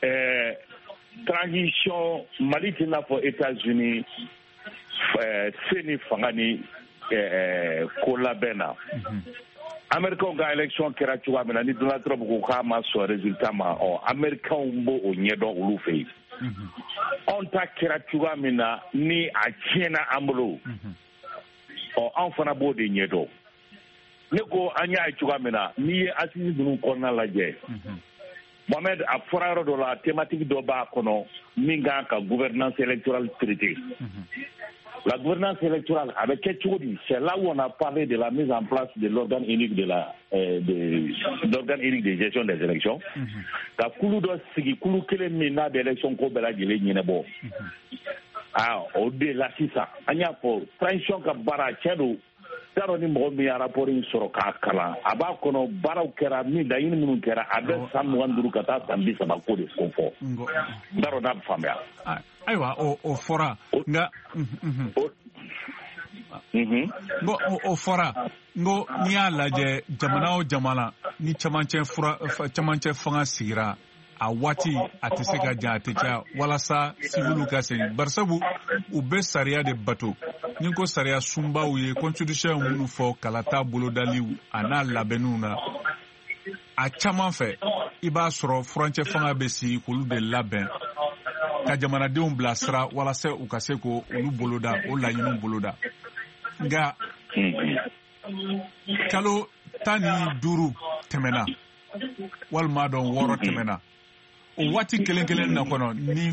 ɛɛ transition Mali tɛ n'a fɔ États-Unis ɛɛ se ni fanga ni ɛɛ ko labɛn na. Américains ka élection kɛra cogoya min na, ni Donald Trump ko k'a ma sɔn résultat ma, ɔ Américains b'o o ɲɛdɔn olu fɛ yen. Anw ta kɛra cogoya min na ni a tiɲɛna an bolo, ɔ anw fana b'o de ɲɛdɔn. Ne ko an y'a ye cogoya min na, n'i ye assise ninnu kɔnɔna lajɛ, Mohamed, a fɔra yɔrɔ dɔ la, thématique dɔ b'a kɔnɔ min kan ka gouvernance électorale traiter. La gouvernance électorale, avec quel chose, c'est là où on a parlé de la mise en place de l'organe unique de la euh, de l'organe unique de gestion des élections. Ka kulu dɔ sigi, kulu kelen min n'a bɛ élection ko bɛɛ lajɛlen ɲɛnabɔ. Ah, o de la sisan an y'a fɔ transition ka baara tiɲɛ don. T'a dɔn ni mɔgɔ min ye rapport in sɔrɔ k'a kalan, a b'a kɔnɔ baaraw kɛra min, laɲini minnu kɛra, a bɛ san mugan duuru ka taa san bi saba ko de ko fɔ. N t'a dɔn n'a bɛ faamuya. Ayiwa, o o fɔra nka n ko o fɔra n ko n'i y'a lajɛ jamana o jamana ni camancɛ fura camancɛ fanga sigira, a waati a tɛ se ka jan, a tɛ caya walasa siviliw ka segin, barisabu u bɛ sariya de bato. Ni ko sariya sunbaw ye constitution minnu fɔ kalata bolodaliw a n'a labɛnniw na, a caman fɛ i b'a sɔrɔ furancɛ fanga bɛ sigi k'olu de labɛn ka jamanadenw bilasira walasa u ka se k'olu boloda, o laɲiniw boloda. Nka kalo tan ni duuru tɛmɛna walima dɔn wɔɔrɔ tɛmɛna, o waati kelen kelen na kɔnɔ ni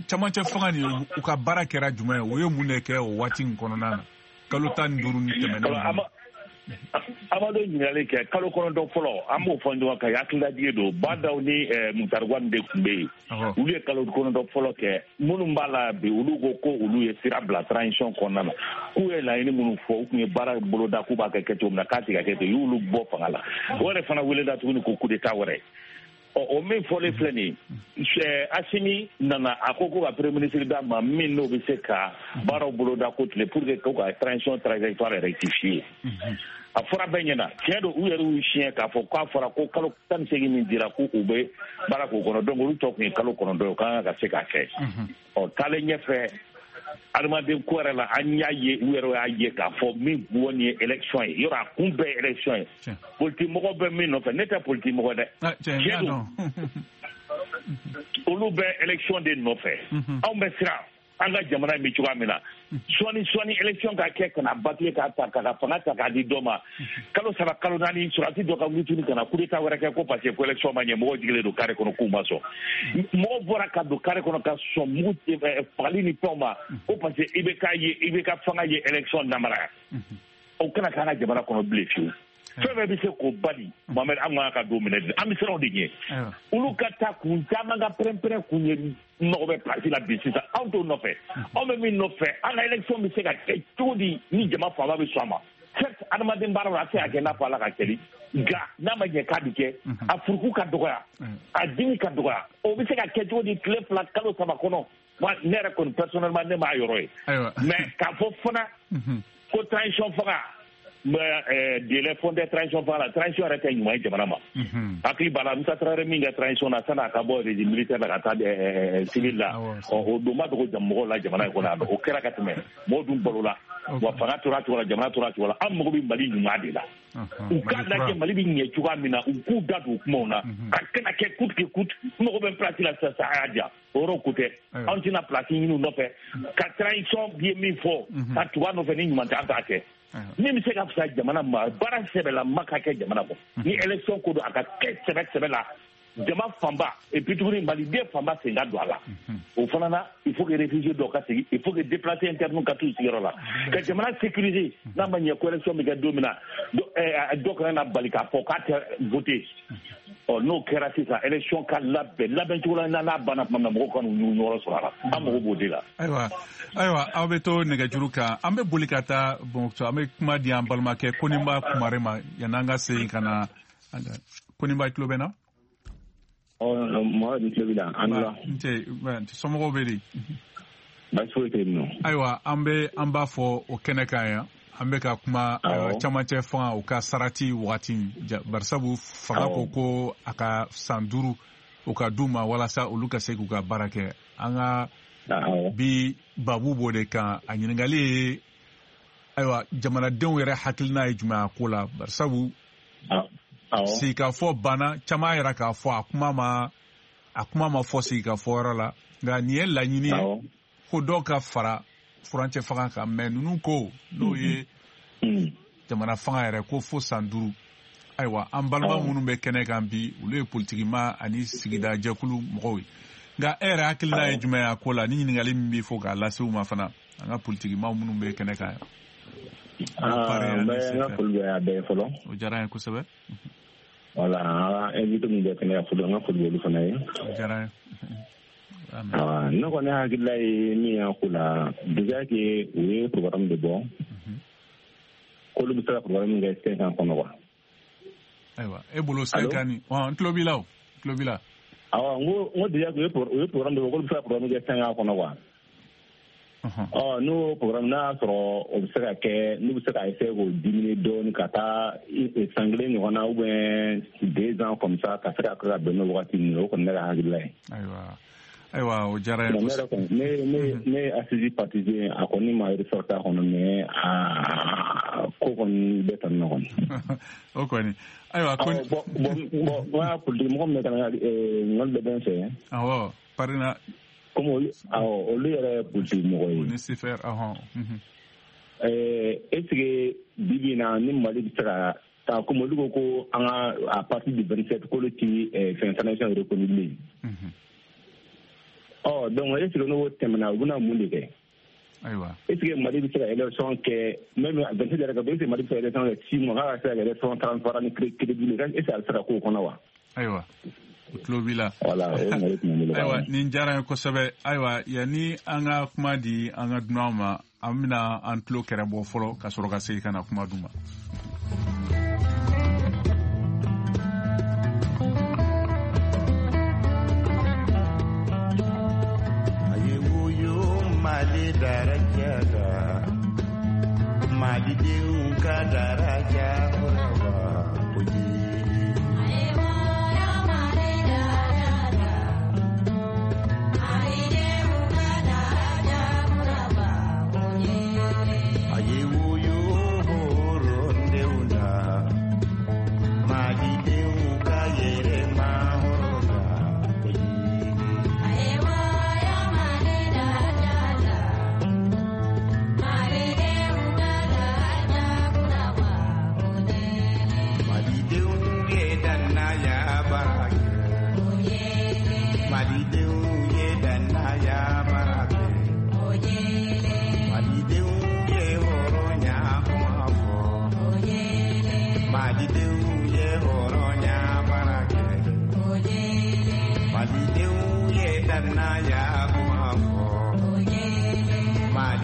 camancɛ fanga ni u ka baara kɛra jumɛn ye, u ye mun de kɛ o waati in kɔnɔna na, kalo tan ni duuru ni tɛmɛnen? Amadu ɲininkali kɛ kalo kɔnɔntɔn fɔlɔ, an b'o fɔ ɲɔgɔn kan, hakililajigi don. Badaw ni Mutari Wani de tun bɛ yen, olu ye kalo kɔnɔntɔn fɔlɔ kɛ. Minnu b'a la bi, olu ko ko olu ye sira bila transition kɔnɔna na, k'u ye laɲini minnu fɔ, u tun ye baara boloda k'u b'a kɛ kɛcogo min na, k'a tɛ ka kɛ ten, u y'olu bɔ fanga la. O yɛrɛ fana welela tuguni ko coup d'état wɛrɛ. Ɔ o min fɔlen filɛ nin ye, Asimi nana a ko ko ka premier ministre d'a ma min n'o bɛ se ka baaraw boloda ko tile pour que ko ka transition trajectoire rectifier. A fɔra bɛɛ ɲɛna, tiɲɛ don, u yɛrɛ y'u siɲɛ k'a fɔ k'a fɔra ko kalo tan ni seegin min dira k'u bɛ baara k'o kɔnɔ, donc olu tɔ tun ye kalo kɔnɔntɔn ye, o kan ka se k'a kɛ. Ɔ taalen ɲɛfɛ adamaden ko yɛrɛ la, an y'a ye, u yɛrɛ y'a ye k'a fɔ min bɔ nin ye élection ye, yɔrɔ a kun bɛɛ ye élection ye. Politique mɔgɔ bɛ min nɔfɛ, ne tɛ politique mɔgɔ dɛ, tiɲɛ don, olu bɛ élection de nɔfɛ, anw bɛ siran. An ka jamana in bɛ cogoya min na, sɔɔni sɔɔni élection ka kɛ ka na bâcler k'a ta k'a ka fanga ta k'a di dɔ ma, kalo saba kalo naani sɔrɔdasi dɔ ka wuli tuguni ka na coup d'état wɛrɛ kɛ ko parce que ko élection ma ɲɛ, mɔgɔw jigilen don carré kɔnɔ k'u ma sɔn. Mɔgɔw bɔra ka don carré kɔnɔ ka sɔn mugu fagali ni fɛnw ma ko parce que I B K ye I B K fanga ye élection namara. O kana k'an ka jamana kɔnɔ bilen fiyewu. Fɛn fɛn bɛ se k'o bali, Mohamed, an kan ka don minɛ, an bɛ siran o de ɲɛ. Olu ka taa kun caman ka pɛrɛn-pɛrɛn kun ye mago bɛ place la bi sisan, anw t'o nɔfɛ. Anw bɛ min nɔfɛ, an ka élection bɛ se ka kɛ cogo di ni jama fanba bɛ sɔn a ma. Certes, adamaden baara la, a tɛ se ka kɛ n'a fɔ Ala ka kɛli, nka n'a ma ɲɛ k'a bɛ kɛ, a furuku ka dɔgɔya, a dimi ka dɔgɔya, o bɛ se ka kɛ cogo di tile fila kalo saba kɔnɔ. Ne yɛrɛ kɔni personnellement ne m'a yɔrɔ ye. Mais k'a fɔ fana ko transition fanga, délai fondé transition fanga la, transition yɛrɛ tɛ ɲuman ye jamana ma. Hakili b'a la Musa Tarawele min kɛ transition na san'a ka bɔ régime militaire la ka taa civil la, o don ma dogo mɔgɔw la jamana in kɔnɔ yan nɔ, o kɛra ka tɛmɛ, mɔgɔw dun balola, wa fanga tora a cogo la, jamana tora a cogo la. An mago bɛ Mali ɲuman de la. U k'a lajɛ Mali bɛ ɲɛ cogoya min na, u k'u da don kumaw na, a kana kɛ coûte que coûte. N mago bɛ place la sisan, a y'a diya, o yɔrɔ ko tɛ. Anw tɛna place ɲini u nɔfɛ ka transition ye min fɔ ka tugu a nɔfɛ ni ɲuman tɛ, an t'a kɛ. Min bɛ se ka fisa jamana ma, baara sɛbɛla ma ka kɛ jamana kɔ. Ni élection ko don, a ka kɛ sɛbɛ sɛbɛ la, jama fanba et puis tuguni maliden fanba sen ka don a la. O fana na, il faut que réfugié dɔw ka segin, il faut que déplacé interne ka t'u sigiyɔrɔ la, ka jamana sécuriser. N'a ma ɲɛ ko élection bɛ kɛ don min na, dɔ kana na bali k'a fɔ k'a tɛ voter. Ɔ n'o kɛra sisan, élection ka labɛn labɛn cogo la, n'a banna tuma min na, mɔgɔw ka n'u ɲɔgɔn sɔrɔ a la. An mago b'o de la. Ayiwa, ayiwa, aw bɛ to nɛgɛjuru kan, an bɛ boli ka taa Bamakɔ, an bɛ kuma di an balimakɛ Koninba Kumare ma yan'an ka segin ka na. Koninba, tulo bɛ na? Mɔgɔ tulo b'i la, an la. N cɛ, somɔgɔw bɛ di? Baasi foyi tɛ yen nɔ. Ayiwa, an bɛ an b'a fɔ o kɛnɛ kan yan. An bɛ ka kuma camancɛ fanga o ka sarati wagati, barisabu fanga ko ko a ka san duuru o ka d'u ma walasa olu ka se k'u ka baara kɛ. An ka bi babu b'o de kan. A ɲininkali ye, ayiwa, jamanadenw yɛrɛ hakilina ye jumɛn a ko la, barisabu sigikafɔ banna, caman yɛrɛ k'a fɔ a kuma ma a kuma ma fɔ sigikafɔ yɔrɔ la, nka nin ye laɲini ye ko dɔw ka fara furancɛ fanga kan, mɛ ninnu ko n'o ye jamana fanga yɛrɛ ko fo san duuru. Ayiwa, an balima minnu bɛ kɛnɛ kan bi, olu ye politikima ani sigida jɛkulu mɔgɔw ye. Nka e yɛrɛ hakilina ye jumɛn ye a ko la, ni ɲininkali min bɛ fɔ k'a lase u ma fana, an ka politikima minnu bɛ kɛnɛ kan yan? N bɛ n ka foli bɛ a bɛɛ fɔlɔ. O diyara n ye kosɛbɛ. Wala, an ka invité min bɛ kɛnɛ kan fɔlɔ, n ka foli bɛ olu fana ye. O diyara n ye. Ne kɔni hakilila ye min y'a ko la, déjà que u ye programme de bɔ, k'olu bɛ se ka programme min kɛ cinq ans kɔnɔ quoi. Ayiwa, e bolo cinq ans ni, n tulo b'i la o, n tulo b'i la. Awɔ, n ko n ko déjà que u ye programme de bɔ, k'olu bɛ se ka programme kɛ cinq ans kɔnɔ quoi. Ɔ n'o programme n'a y'a sɔrɔ o bɛ se ka kɛ, n'u bɛ se ka essayer k'o diminuer dɔɔnin ka taa san kelen ɲɔgɔn na ou bien deux ans comme ça, ka se ka kɛ ka bɛn n'o wagati ninnu ye, o kɔni ne ka hakilila ye. Ayiwa. Ayiwa, o diyara n ye kosɛbɛ. Ne ne ne ye assise partisan, a kɔni ma ressorti a kɔnɔ, mais a ko kɔni bɛ tan nɔ kɔni. O kɔni. Ayiwa, ko bon bon bon n ka politique mɔgɔ min bɛ ka na ɲininkali bɛ bɛ n fɛ. Awɔ, Parina. Comme olu, awɔ, olu yɛrɛ ye politique mɔgɔ ye. O ni C F R, ɔhɔn. Est ce que bi bi in na ni Mali bɛ se ka taa, comme olu ko ko an ka à partir du vingt-sept k'olu ti fɛn transition reconnu bilen. Ɔ donc est ce que n'o tɛmɛna, u bɛna mun de kɛ? Ayiwa. Est ce que Mali bɛ se ka élection kɛ même vingt-sept yɛrɛ ka est ce que Mali bɛ se ka élection kɛ six mois, k'a ka se ka élection transparent ni crédible, est ce que a bɛ se ka k'o kɔnɔ wa? Ayiwa, o tulo b'i la. Voilà, o ɲininkali tun bɛ n bolo. Ayiwa, nin diyara n ye kosɛbɛ. Ayiwa, yanni an ka kuma di an ka dunanw ma, an bɛna an tulo kɛrɛ bɔ fɔlɔ ka sɔrɔ ka segin ka na kuma d'u ma. Mali daraja la, Malidenw ka daraja kɔrɔba koyi. Mali daraja la, Malidenw ka daraja kɔrɔba koyi. A ye woyo hɔrɔndenw la, Malidenw ka yɛrɛma hɔrɔnya koyi.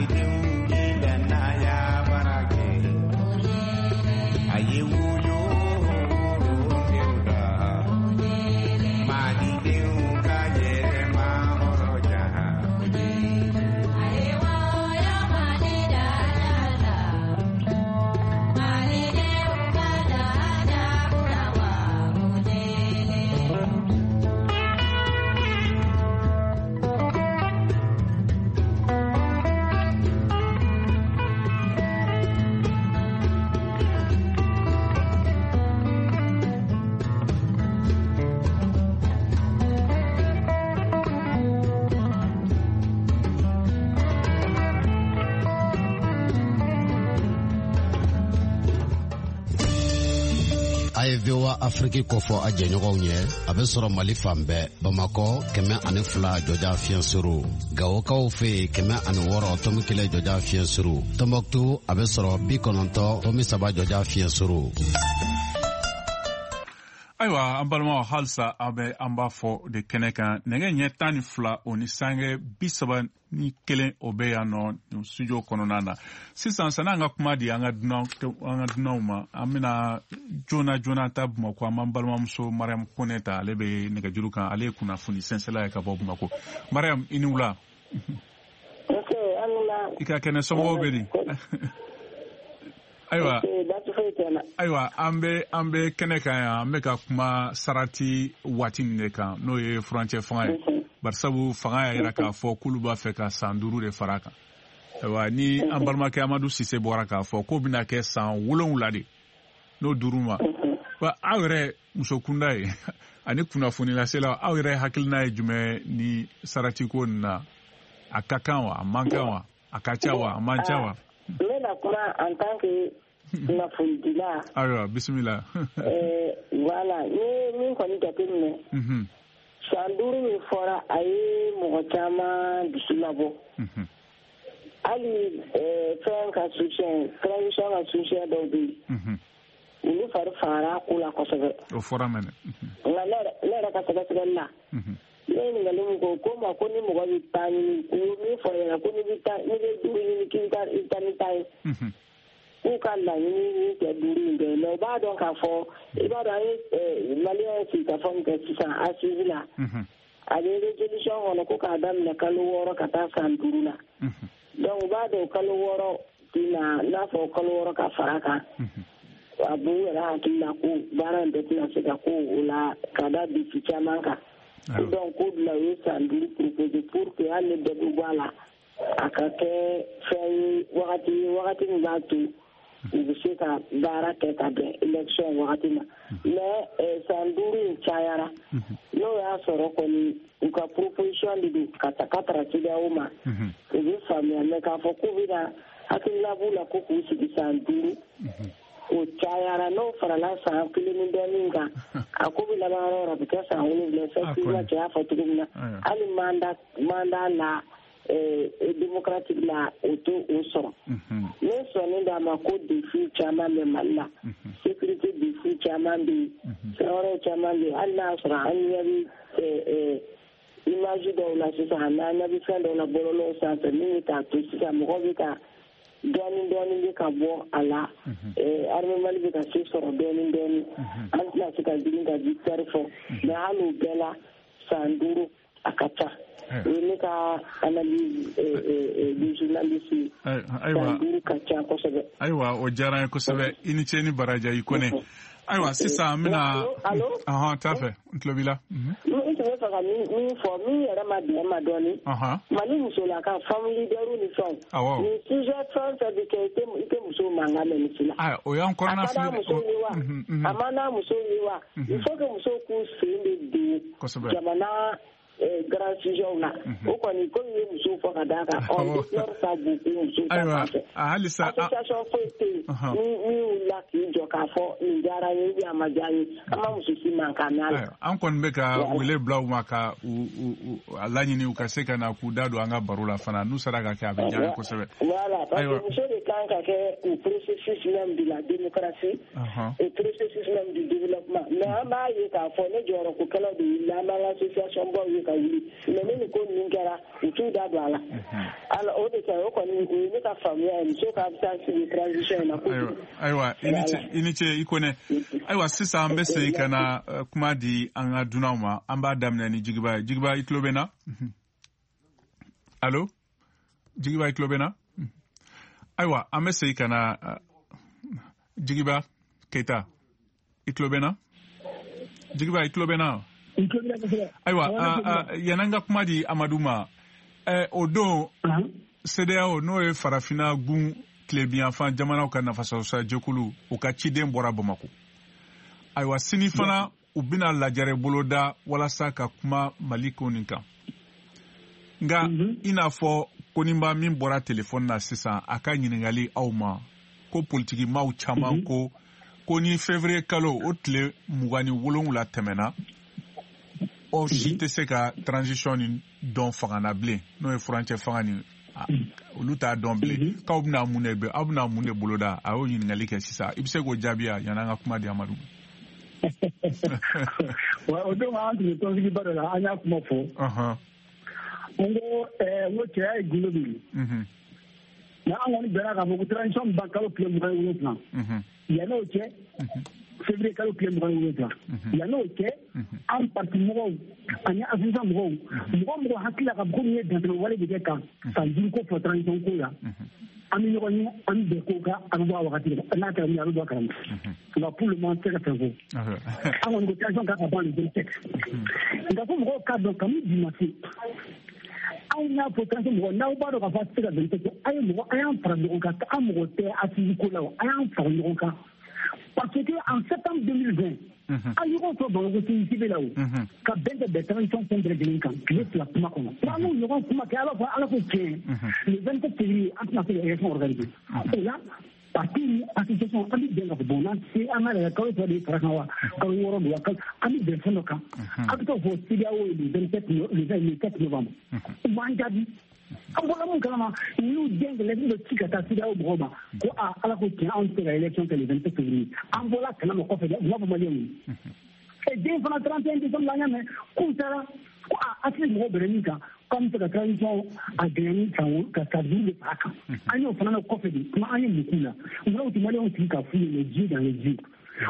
Malidenw ye danaya baara kɛ. A ye woyo denw da. Malidenw ka yɛrɛma hɔrɔnya. A ye V O A Afrique kofɔ a jɛɲɔgɔnw ye a bɛ sɔrɔ Mali fan bɛɛ Bamakɔ kɛmɛ ani fila jɔja fiɲɛ suru Gawokaw fɛ yen kɛmɛ ani wɔɔrɔ tomi kelen jɔja fiɲɛ suru Tɔnbɔkutu a bɛ sɔrɔ bi kɔnɔntɔn tomi saba jɔja fiɲɛ suru. Ayiwa an balimaw halisa an bɛ an b'a fɔ de kɛnɛ kan nɛgɛ ɲɛ tan ni fila o ni sange bi saba ni kelen o bɛ yan nɔ studio kɔnɔna na sisan sanni an ka kuma di an ka dunan an ka dunanw ma an bɛna joona joona ta Bamakɔ an b'an balimamuso Mariam Kone ta ale bɛ nɛgɛjuru kan ale ye kunnafoni sɛnsɛla ye ka bɔ Bamakɔ. Mariam i ni wula. I ka kɛnɛ somɔgɔw bɛ di? Ayiwa ayiwa an bɛ an bɛ kɛnɛ kan yan an bɛ ka kuma sarati waati nin de kan n'o ye furancɛ fanga ye barisabu fanga y'a yira k'a fɔ k'olu b'a fɛ ka san duuru de fara a kan. Ayiwa ni an balimakɛ Amadu Sise bɔra k'a fɔ k'o bɛna kɛ san wolonwula de n'o duuru ma wa aw yɛrɛ muso kunda ye ani kunnafoni laselaw aw yɛrɛ hakilina ye jumɛn ni sarati ko nin na a ka kan wa a man kan wa a ka ca wa a man ca wa? N bɛna kuma en tant que kunnafonidila. Ayiwa bisimila. Voilà n ye min kɔni jateminɛ. San duuru min fɔra a ye mɔgɔ caman dusu labɔ. Hali fɛn ka soutien transition ka soutien dɔw bɛ yen. Olu fari fagara a ko la kosɛbɛ. O fɔra mɛnɛ. Nka ne yɛrɛ ka sɛgɛsɛgɛli la. Ne ye ɲininkali min kɛ ko ma ko ni mɔgɔ bɛ taa ɲini u ye min fɔ ɲɛna ko n'i bɛ taa n'i bɛ duuru ɲini k'i bɛ taa i bɛ taa ni taa ye. K'u ka laɲini min kɛ duuru in bɛɛ mais u b'a dɔn k'a fɔ i b'a dɔn an ye maliyɛn ye sigikafɔ min kɛ sisan assise la. A bɛ résolution kɔnɔ ko k'a daminɛ kalo wɔɔrɔ ka taa san duuru la. Donc u b'a dɔn kalo wɔɔrɔ tɛna n'a fɔ kalo wɔɔrɔ ka fara a kan. A b'u yɛrɛ hakili la ko baara in bɛɛ tɛna se ka ko o la ka da défi caman kan. Donc ko bila u ye san duuru proposé pour que hali ni dɔ bɛ bɔ a la a ka kɛ fɛn ye wagati ye wagati min b'a to u bɛ se ka baara kɛ ka bɛn élection wagati ma mais san duuru in cayara n'o y'a sɔrɔ kɔni u ka proposition de don ka ta ka taara CEDEAO ma u bɛ faamuya mais k'a fɔ k'u bɛna hakilina b'u la ko k'u sigi san duuru o cayara n'o farala san kelen ni dɔɔnin kan a ko bɛ laban yɔrɔ o yɔrɔ a bɛ kɛ san wolonwula effectivement cɛ y'a fɔ cogo min na hali mandat mandat la démocratique la o t'o o sɔrɔ. Ne sɔnnen d'a ma ko défi caman bɛ Mali la sécurité défi caman bɛ yen fɛn wɛrɛw caman bɛ yen hali n'a y'a sɔrɔ an ɲɛ bɛ image dɔw la sisan an ɲɛ bɛ fɛn dɔw la bɔlɔlɔw sanfɛ min bɛ k'a to sisan mɔgɔw bɛ ka dɔɔnin dɔɔnin bɛ ka bɔ a la armée Mali bɛ ka se sɔrɔ dɔɔnin dɔɔnin an tɛna se ka girin ka victoire fɔ mais hali o bɛɛ la san duuru a ka ca o ye ne ka analyse de journaliste ye san duuru ka ca kosɛbɛ. Ayiwa o diyara n ye kosɛbɛ i ni ce ni baraji i Kone. Ayiwa sisan an bɛna ɔhɔn t'a fɛ n tulo b'i la. N tun bɛ fɛ ka min fɔ min yɛrɛ ma bɛn ma dɔɔnin. Mali musolaka femme leader ni fɛnw. Nin sujet fɛn fɛn bɛ kɛ i tɛ muso mankan mɛn nin si la. Ayi o y'an kɔnɔna fili. A ka d'a musow ye wa a ma n'a musow ye wa il faut que musow k'u sen de don jamana grand sujet la o kɔni komi ye musow fɔ ka d'a kan on déplore ça beaucoup musow ta fan fɛ. Halisa association foyi tɛ yen ni min wulila k'i jɔ k'a fɔ nin diyara n ye ou bien a ma diya n ye an ma muso si mankan mɛn a la. An kɔni bɛ ka wele bila u ma ka u a laɲini u ka se ka na k'u da don an ka baro la fana n'u sera ka kɛ a bɛ diya n ye kosɛbɛ. Voilà parce que muso de kan ka kɛ au processus même de la démocratie au processus même du développement mais an b'a ye k'a fɔ ne jɔyɔrɔkokɛlaw de wulila an b'an ka association baw ye ka wuli mais ni nin ko ninnu kɛra u t'u da don a la. Alors o de kɛ o kɔni o ye ne ka faamuya ye muso ka absence de transition in na kojugu. Ayiwa i ni ce i ni ce i Kone. Ayiwa sisan an bɛ segin ka na kuma di an ka dunanw ma. An b'a daminɛ ni Jigiba ye. Jigiba, i tulo bɛ n na? Allo? Jigiba, i tulo bɛ n na? Ayiwa an bɛ segin ka na Jigiba Keita, i tulo bɛ n na? Jigiba, i tulo bɛ n na? Ayiwa yan'an ka kuma di Amadu ma, o don CEDEAO n'o ye farafinna gun tilebinyanfan jamanaw ka nafasɔrɔsira jɛkulu, u ka ciden bɔra Bamakɔ. Ayiwa sini fana u bɛna lajɛrɛ boloda walasa ka kuma Mali ko nin kan. Nka i n'a fɔ Koninba min bɔra telefɔni na sisan, a ka ɲininkali aw ma ko politikimaw caman ko ko ni février kalo o tile mugan ni wolonwula tɛmɛna, aw si tɛ se ka transition nin dɔn fanga na bilen, n'o ye furancɛ fanga nin, olu t'a dɔn bilen, k'aw bɛna mun de aw bɛna mun de boloda? A y'o ɲininkali kɛ sisan, i bɛ se k'o jaabi yan yan'an ka kuma di Amadu. O don an tun bɛ tɔnsigiba dɔ la, an y'a kuma fɔ. N ko n ko cɛya ye gundo min ye. Nka an kɔni bɛnna k'a fɔ ko transition ban kalo tile mugan ni wolonwula. Yann'o cɛ, février kalo tile mugan ni wolonwula. Yann'o cɛ, an parti mɔgɔw ani association mɔgɔw, mɔgɔ mɔgɔ hakili la k'a fɔ ko nin ye dantɛmɛ wale de kɛ kan san duuru ko fɔ transition ko la. An bɛ ɲɔgɔn ye, an bɛ bɛn ko kan, a bɛ bɔ a wagati la, n'a kɛra min ye a bɛ bɔ a kalama. Nka pour le moment an tɛ se ka fɛn fɔ. An kɔni ko transition kan ka ban le vingt-sept. Nka fo mɔgɔw k'a dɔn kabini bi ma se, anw y'a fɔ transition mɔgɔ n'aw b'a dɔn k'a fɔ a tɛ se ka vingt-sept kɛ, a ye mɔgɔ a y'an fara ɲɔgɔn kan, an mɔgɔ tɛ assise ko la o, a y'an fara ɲɔgɔn kan. Parce que en septembre deux mille vingt, an ɲɔgɔn sɔrɔ Bamakɔ C I C B la o, ka bɛn kɛ bɛn transition fɛn bɛɛ lajɛlen kan tile fila kuma kɔnɔ. N'an m'o ɲɔgɔn kuma kɛ, ala fɔ ala ko tiɲɛ, le vingt-sept février an tɛna se ka élection organiser. O la parti ni association an bɛ bɛn k'a fɔ bon n'an tɛ se an ka lajɛ kalo fila de fara kan wa kalo wɔɔrɔ don wa kalo an bɛ bɛn fɛn dɔ kan. A bɛ t'o fɔ CEDEAO ye le vingt-sept le vingt-sept novembre. U m'an jaabi. An bɔra mun kalama, u y'u den ka lettre dɔ ci ka taa CEDEAO mɔgɔw ma ko aa ala ko tiɲɛ anw tɛ se ka élection kɛ le vingt-sept février. An bɔra kalama kɔfɛ dɛ, u m'a fɔ maliyɛnw ye. Ɛ den fana trente et un décembre la an y'a mɛn k'u taara ko aa asili mɔgɔw bɛnna min kan k'an bɛ se ka transition a gɛlɛya ni san ka san duuru de fara kan. An y'o fana mɛn kɔfɛ de, kuma an ye mun k'u la? U fana u tɛ maliyɛnw sigi k'a f'u ye les yeux dans les yeux.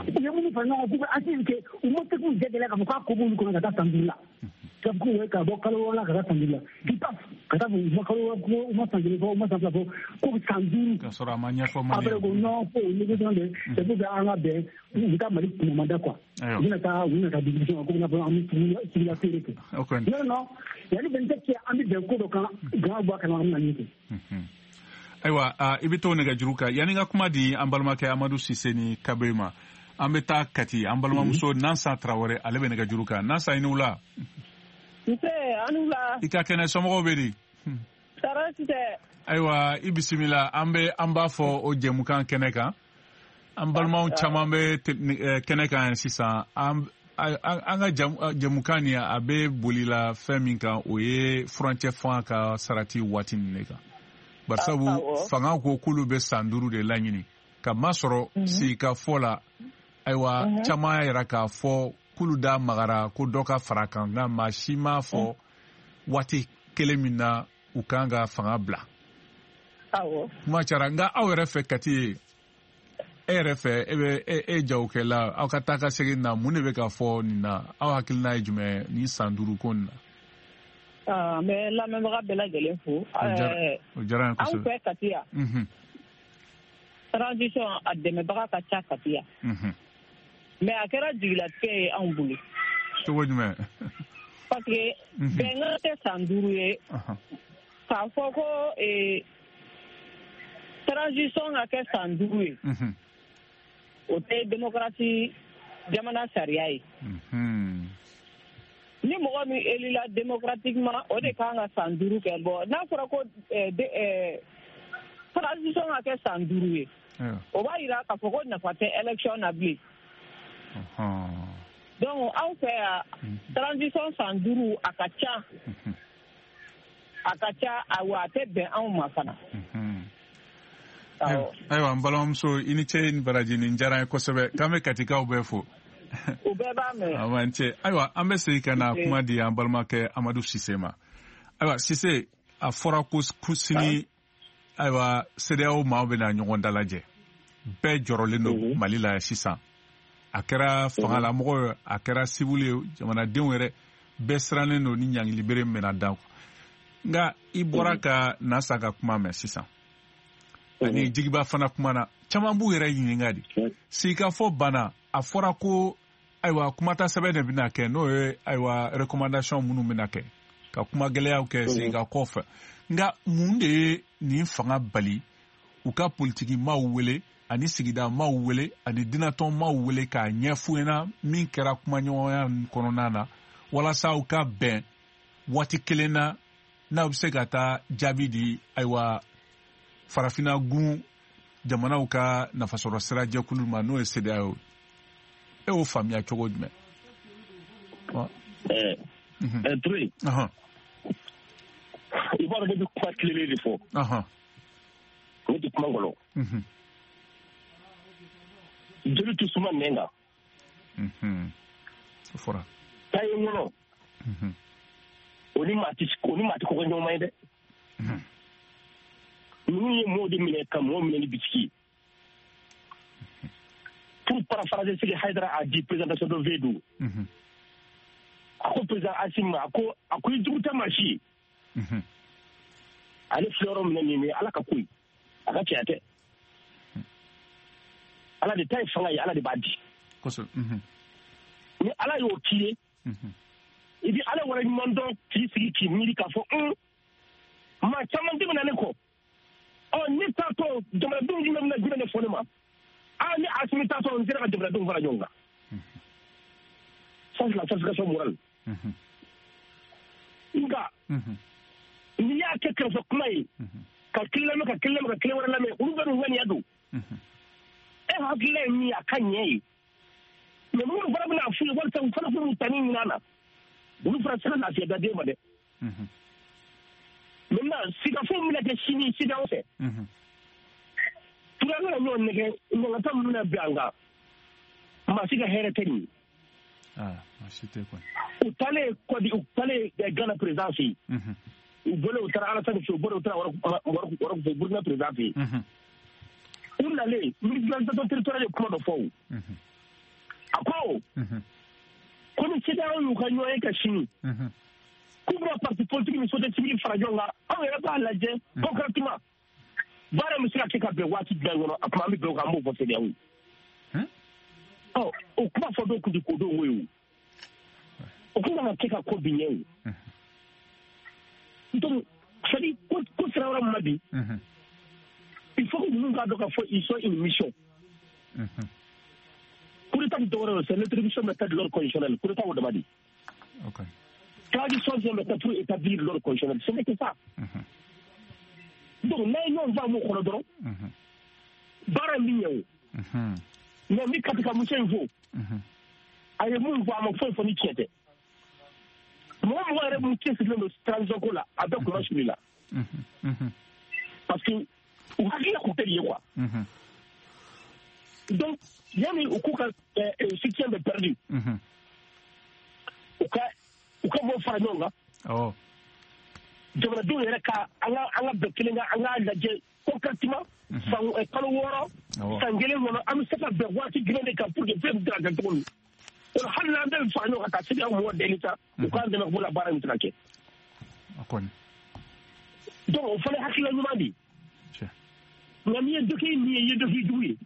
U ye minnu fara ɲɔgɔn kan k'u bɛ asili kɛ, u ma se k'u jɛ gɛlɛya k'a fɔ k'a ko b'olu kɔnɔ ka taa san duuru la. Ka fɔ k'u ka bɔ kalo wɔɔrɔ la ka taa san duuru la. K'i paf ka taa fɔ u ma kalo wɔɔrɔ, u ma san kelen fɔ, u ma san fila fɔ, ko san duuru. Ka sɔrɔ a ma ɲɛfɔ maliyɛnw. Après ko non ko o négociation de c'est pour que an ka bɛn, u bɛ taa Mali kunamada quoi. U bɛna taa u bɛna taa discussion ko bɛna fɔ an bɛ sugu la feere kɛ. Non non, yanni vingt-sept cɛ an bɛ bɛn ko dɔ kan, jama bɔ a kalama an bɛna min kɛ. Ayiwa i bɛ t'o nɛgɛjuru kan yanni n ka kuma di an balimakɛ Amadu Sise ni Kabe ma. An bɛ taa Kati, an balimamuso Nansa Tarawele, ale bɛ nɛgɛjuru kan. Nansa, i ni wula. Nse, an ni wula. I ka kɛnɛ, somɔgɔw bɛ di? Tɔɔrɔ si tɛ. Ayiwa i bisimila, an bɛ an b'a fɔ o jɛmukan kɛnɛ kan. An balimaw caman bɛ kɛnɛ kan sisan. An an ka jɛmukan nin a bɛ bolila fɛn min kan, o ye furancɛ fanga ka sarati waati nin de kan. Barisabu fanga ko k'olu bɛ san duuru de laɲini. Ka masɔrɔ sigikafɔ la, ayiwa caman y'a yira k'a fɔ k'olu da magara ko dɔ ka fara kan, nka maa si m'a fɔ waati kelen min na u kan ka fanga bila. Kuma cayara, nka aw yɛrɛ fɛ Kati ye, e yɛrɛ fɛ e bɛ e e jagokɛla, aw ka taa ka segin na, mun de bɛ ka fɔ nin na? Aw hakilina ye jumɛn nin san duuru ko nin na? N bɛ lamɛnbaga bɛɛ lajɛlen fo. O diyara n ye kosɛbɛ. Anw fɛ Kati yan, transition a dɛmɛbaga ka ca Kati yan. Mais a kɛra jigilatigɛ ye anw bolo. Cogo jumɛn? Parce que bɛnkan tɛ san duuru ye. K'a fɔ ko transition ka kɛ san duuru ye, o tɛ démocratie jamana sariya ye. Ni mɔgɔ min élila démocratiquement, o de kan ka san duuru kɛ. Bon, n'a fɔra ko transition ka kɛ san duuru ye, o b'a yira k'a fɔ ko nafa tɛ élection na bilen. Donc anw fɛ yan, transition san duuru a ka ca, a ka ca, awa a tɛ bɛn anw ma fana. Ayiwa n balimamuso, i ni ce ni baraji, nin diyara n ye kosɛbɛ. K'an bɛ Katikaw bɛɛ fo. U bɛɛ b'a mɛn. Awa n ce. Ayiwa, an bɛ segin ka na kuma di an balimakɛ Amadu Sise ma. Ayiwa Sise, a fɔra ko sini, ayiwa CEDEAO maaw bɛna ɲɔgɔn dalajɛ. Bɛɛ jɔrɔlen don Mali la sisan. A kɛra fangalamɔgɔ ye, a kɛra civil ye, jamanadenw yɛrɛ bɛɛ sirannen don ni ɲangilibere min bɛna da. Nka i bɔra ka Nasa ka kuma mɛn sisan. Ani Jigiba fana kuma na, caman b'u yɛrɛ ɲininka de. Sigikafɔ banna, a fɔra ko ayiwa kumata sɛbɛn de bɛna kɛ, n'o ye ayiwa recommandation minnu bɛna kɛ ka kuma gɛlɛyaw kɛ sigikafɔ fɛ. Nka mun de ye nin fanga bali u ka politiki maaw wele ani sigida maaw wele ani dinatɔn maaw wele k'a ɲɛf'u ɲɛna min kɛra kumaɲɔgɔnya kɔnɔna na, walasa u ka bɛn waati kelen na, n'aw bɛ se ka taa jaabi di ayiwa farafinna gun jamanaw ka nafasɔrɔ sira jɛkulu ma, n'o ye CEDEAO ye. E y'o faamuya cogo jumɛn? Ɛɛ ɛɛ Ture. I b'a dɔn ne bɛ kuma tilennen de fɔ. Ne tɛ kuma ngɔlɔ. Joli tɛ suma nɛn kan. O fɔra. Taa ye ŋɔnɔ. O ni maa tɛ o ni maa tɛ kɔkɔ ɲɔgɔn ma ye dɛ. Ninnu ye mɔɔw de minɛ ka mɔgɔw minɛ ni bisiki ye. Pour paraphraser ce que Haidara a dit présentation de V deux. A ko président Assimi ma, a ko a ko i jugu tɛ maa si ye. Ale filɛ yɔrɔ min na nin ye Ala ka ko ye, a ka cɛya tɛ. Ala de ta ye fanga ye, Ala de b'a di. Kosɛbɛ. Ni Ala y'o k'i ye, i bi Ala waleɲuman dɔn k'i sigi k'i miiri k'a fɔ un maa caman tɛmɛna ne kɔ. Ɔ ne taatɔ jamanadenw jumɛn bɛna jumɛn de fɔ ne ma? Aa ne Assimi taatɔ n sera ka jamanadenw fara ɲɔgɔn kan. Ça c'est la satisfaction morale. Nka n'i y'a kɛ kɛrɛfɛ kuma ye, ka kelen lamɛn ka kelen lamɛn ka kelen wɛrɛ lamɛn, olu bɛɛ n'u ŋaniya don. E hakilila ye min ye, a ka ɲɛ ye. Mais minnu fana bɛna f'u ye walasa u fana k'u tani ɲini a na, olu fana tɛ se ka lafiya da den ma dɛ. Maintenant sigikafɔ min bɛna kɛ sini CEDEAO fɛ, Ture an kana ɲɔgɔn nɛgɛ, ɲangata min bɛna bin an kan, maa si ka hɛrɛ tɛ nin ye. Maa si tɛ kɔni. U taalen Kɔdi, u taalen Gana président fɛ yen. U bɔlen u taara Alassane fɛ yen, u bɔlen u taara Wɔrɔku fɛ Burukina président fɛ yen. U nalen ministre de l'administration territoriale ye kuma dɔ fɔ o. A ko ko ni CEDEAO y'u ka ɲɔgɔn ye ka sini, k'u bɛna parti politique ni société civile fara ɲɔgɔn kan, anw yɛrɛ b'a lajɛ concrètement baara min bɛ se ka kɛ ka bɛn waati jumɛn kɔnɔ, a tuma an bɛ bɛn o kan, an b'o fɔ CEDEAO ye. Ɔ o kuma fɔ dɔw kun tɛ ko dɔw ye o. O kun kan ka kɛ ka ko bin ɲɛ o. Donc c'est à dire ko ko sira wɛrɛ min ma bi, il faut que ninnu k'a dɔn k'a fɔ ils sont une mission. Coup d'état dɔwɛrɛ ye, c'est l'introduction maintenant de l'ordre constitutionnel. Coup d'état o dama di. Transition vient maintenant pour établir l'ordre constitutionnel. Ce n'est que ça. Donc n'a ye ɲɔgɔn faamu o kɔnɔ dɔrɔn, baara in bɛ ɲɛ o. Mais n bɛ Katika muso in fo, a ye mun fɔ, a ma foyi fɔ ni tiɲɛ tɛ. Mɔgɔ mɔgɔ yɛrɛ mun cɛsirilen don transition ko la, a bɛɛ kunna suli la. Parce que u hakilila kun tɛ nin ye quoi. Donc yanni u k'u ka soutien bɛ perdu, u ka u ka mɔgɔw fara ɲɔgɔn kan. Jamanadenw yɛrɛ ka an ka an ka bɛn kelen kan, an k'a lajɛ concrètement san kalo wɔɔrɔ san kelen kɔnɔ an bɛ se ka bɛn waati jumɛn de kan pour que fɛn bɛ se ka kɛ cogo min. O la hali n'an bɛɛ bɛ fara ɲɔgɔn kan ka CEDEAO mɔgɔw deli sa, u k'an dɛmɛ k'o la baara in bɛ se ka kɛ. Donc o fana ye hakilila ɲuman de ye. Nka n'i ye dɔ kɛ nin ye, i ye dɔ k'i jugu ye.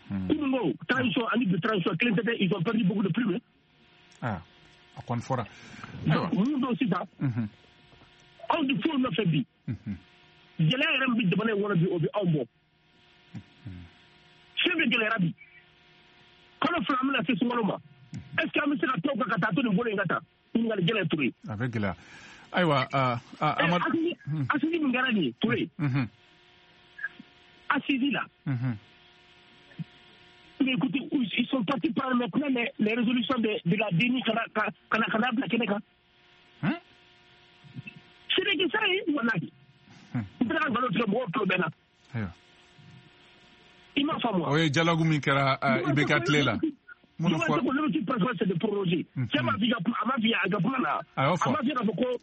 Kunun ko transition ani bi transition kelen tɛ dɛ, ils ont perdu beaucoup de plumes. Ah, a kɔni fɔra. Mun don sisan, anw di foyi nɔfɛ bi. Gɛlɛya yɛrɛ min bɛ jamana in kɔnɔ bi, o bɛ anw bɔ. Fɛn bɛɛ gɛlɛyara bi. Kalo fila an bɛna se sunkalo ma. Est ce que an bɛ se ka to kan ka taa to nin bolo in ka taa? Ɲininkali gɛlɛn Ture. A bɛ gɛlɛya. Ayiwa, Amadu. Assise min kɛra nin ye Ture. Assise la. Mais écoutez, ils sont partis prendre maintenant les, les résolutions de, de la D N I kana kana bila kɛnɛ kan. Ce n'est que ça ye, walahi. N tɛ ka nkalon tigɛ mɔgɔw tulo bɛ na. I m'a faamu. faamu wa? O ye dialogue min kɛra I B K tile la. Minnu fɔ ko l'objectif principal c'est de proroger. Cɛ m'a f'i ka kuma, a m'a f'i a ka kuma na. A y'o fɔ. A m'a f'i k'a fɔ ko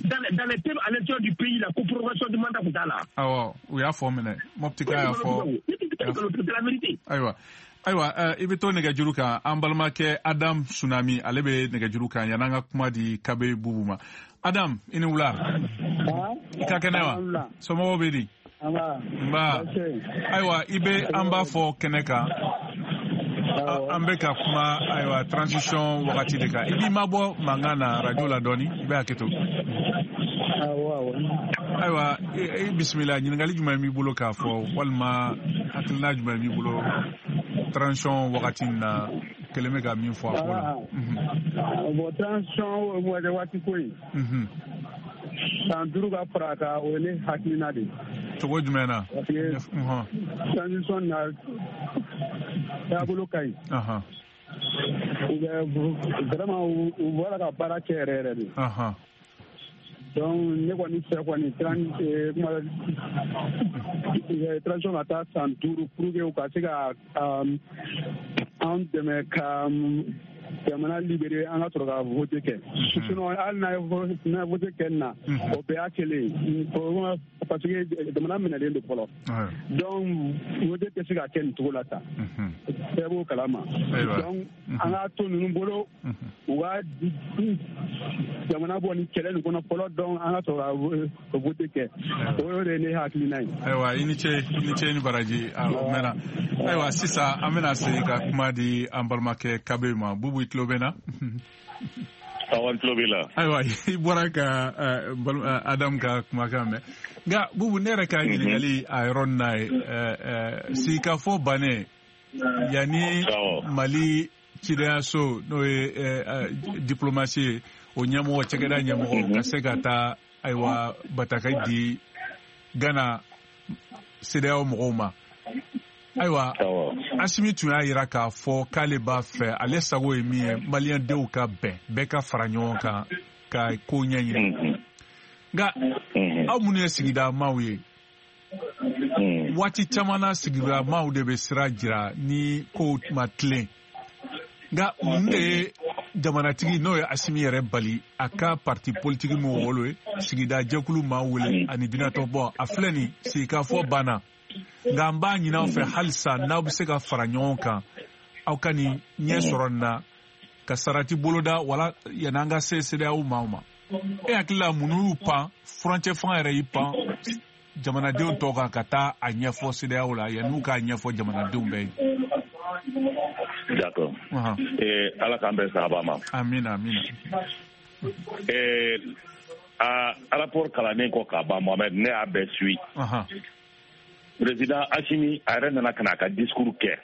dans les dans les thèmes à l'intérieur du pays là ko prorogation du mandat kun t'a la. Awɔ, u y'a fɔ minɛ. Mopti ka y'a fɔ. C'est la vérité. Ayiwa. Ayiwa, i bɛ to nɛgɛjuru kan, an balimakɛ Adam Tsunami, ale bɛ nɛgɛjuru kan yan'an ka kuma di Kabe Bubu ma. Adam, i ni wula. I ka kɛnɛ wa? Somɔgɔw bɛ di? Nba. Ayiwa, i bɛ an b'a fɔ kɛnɛ kan. An bɛ ka kuma ayiwa transition wagati de kan. I b'i mabɔ mankan na radio la dɔɔni, i bɛ hakɛ to. Ayiwa, i bisimila, ɲininkali jumɛn b'i bolo k'a fɔ walima hakilina jumɛn b'i bolo transition wagati in na kelen bɛ ka min fɔ a ko la? Bon, transition waati ko in, san duuru ka fara a kan, o ye ne hakilina de ye. Cogo jumɛn na? Parce que transition na taabolo ka ɲi. U bɛ vraiment u bɔra ka baara kɛ yɛrɛ yɛrɛ de. Donc ne kɔni fɛ kɔni transition ka taa san duuru pour que u ka se ka an dɛmɛ ka jamana libéré, an ka sɔrɔ ka vote kɛ. Sinon hali n'a ye vote kɛ nin na, o bɛɛ y'a kelen ye, parce que jamana minɛlen don fɔlɔ. Donc vote tɛ se ka kɛ nin cogo la tan, bɛɛ b'o kalama. Donc an k'a to ninnu bolo, u ka jamana bɔ nin kɛlɛ nin kɔnɔ fɔlɔ, donc an ka sɔrɔ ka vote kɛ. O de ye ne hakilina ye. Ayiwa, i ni ce, i ni ce ni baraji, o mɛnna. Ayiwa, sisan an bɛna segin ka kuma di an balimakɛ Kabe ma. Bubu, i tulo bɛ na? Awɔ, n tulo b'i la. Ayiwa, i bɔra ka Adam ka kumakan mɛn. Nka Bubu, ne yɛrɛ ka ɲininkali a yɔrɔ nin na ye, sigikafɔ bannen yanni Mali cidenyaso n'o ye diplomasi ye, o ɲɛmɔgɔ, cakɛda ɲɛmɔgɔ ka se ka taa ayiwa bataki di Gana CEDEAO mɔgɔw ma. Ayiwa, Asimi tun y'a yira k'a fɔ k'ale b'a fɛ, ale sago ye min ye, maliyɛndenw ka bɛn, bɛɛ ka fara ɲɔgɔn kan ka ko ɲɛɲini. Nka aw minnu ye sigida maaw ye, waati caman na sigida maaw de bɛ sira jira ni kow ma tilen. Nka mun de ye jamanatigi n'o ye Asimi yɛrɛ bali a ka parti politiki min wolo ye, sigida jɛkulu maa wele ani dunatɔbɔ, a filɛ nin sigikafɔ banna. Nka an b'a ɲini aw fɛ halisa n'aw bɛ se ka fara ɲɔgɔn kan, aw ka nin ɲɛ sɔrɔ nin na ka sarati boloda wala yan'an ka se CEDEAO maaw ma. E hakili la mun y'u pan, furancɛ fanga yɛrɛ y'i pan jamanadenw tɔw kan ka taa a ɲɛfɔ CEDEAO la yan'u k'a ɲɛfɔ jamanadenw bɛɛ ye? D'accord. Eh, Ala k'an bɛn sahaba ma. Amina, amina. Eh, a rapport kalannen kɔ ka ban, Mohamed, ne y'a bɛɛ suit. Président Assimi a yɛrɛ nana ka na a ka discours kɛ.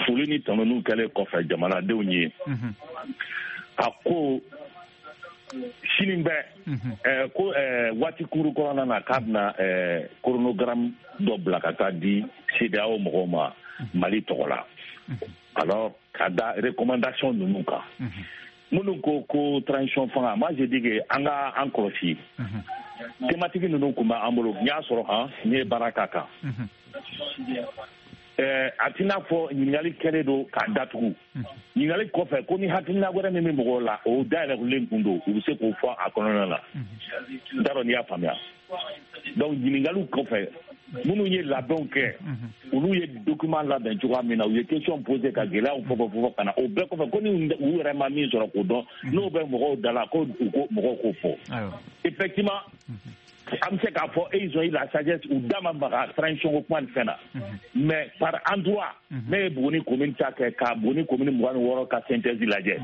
Foli ni tanuniw kɛlen kɔfɛ jamanadenw ye, a ko sini bɛ ko waati kuru kɔnɔna na k'a bɛna chronogramme dɔ bila ka taa di CEDEAO mɔgɔw ma Mali tɔgɔ la. Alors ka da recommandation ninnu kan. Minnu ko ko transition fanga, moi je dis que an ka an kɔlɔsi. Thématique ninnu kun b'an bolo, n y'a sɔrɔ han, n ye baara k'a kan. Ɛɛ a tɛna fɔ ɲininkali kɛlen don k'a datugu. Ɲininkali kɔfɛ ko ni hakilina wɛrɛ min bɛ mɔgɔw la, o dayɛlɛlen kun don, u bɛ se k'o fɔ a kɔnɔna la. N t'a dɔn n'i y'a faamuya. Donc ɲininkaliw kɔfɛ, minnu ye labɛnw kɛ, olu ye document labɛn cogoya min na, u ye question posé ka gɛlɛyaw fɔ fɔ fɔ ka na, o bɛɛ kɔfɛ ko ni u yɛrɛ ma min sɔrɔ k'o dɔn, n'o bɛ mɔgɔw da la ko u ko mɔgɔw k'o fɔ. Effectivement, an bɛ se k'a fɔ ils ont eu la sagesse, u da ma maga transition ko kuma ni fɛn na. Mais par endroit, ne ye Buguni commune ta kɛ ka Buguni commune mugan ni wɔɔrɔ ka synthèse lajɛ.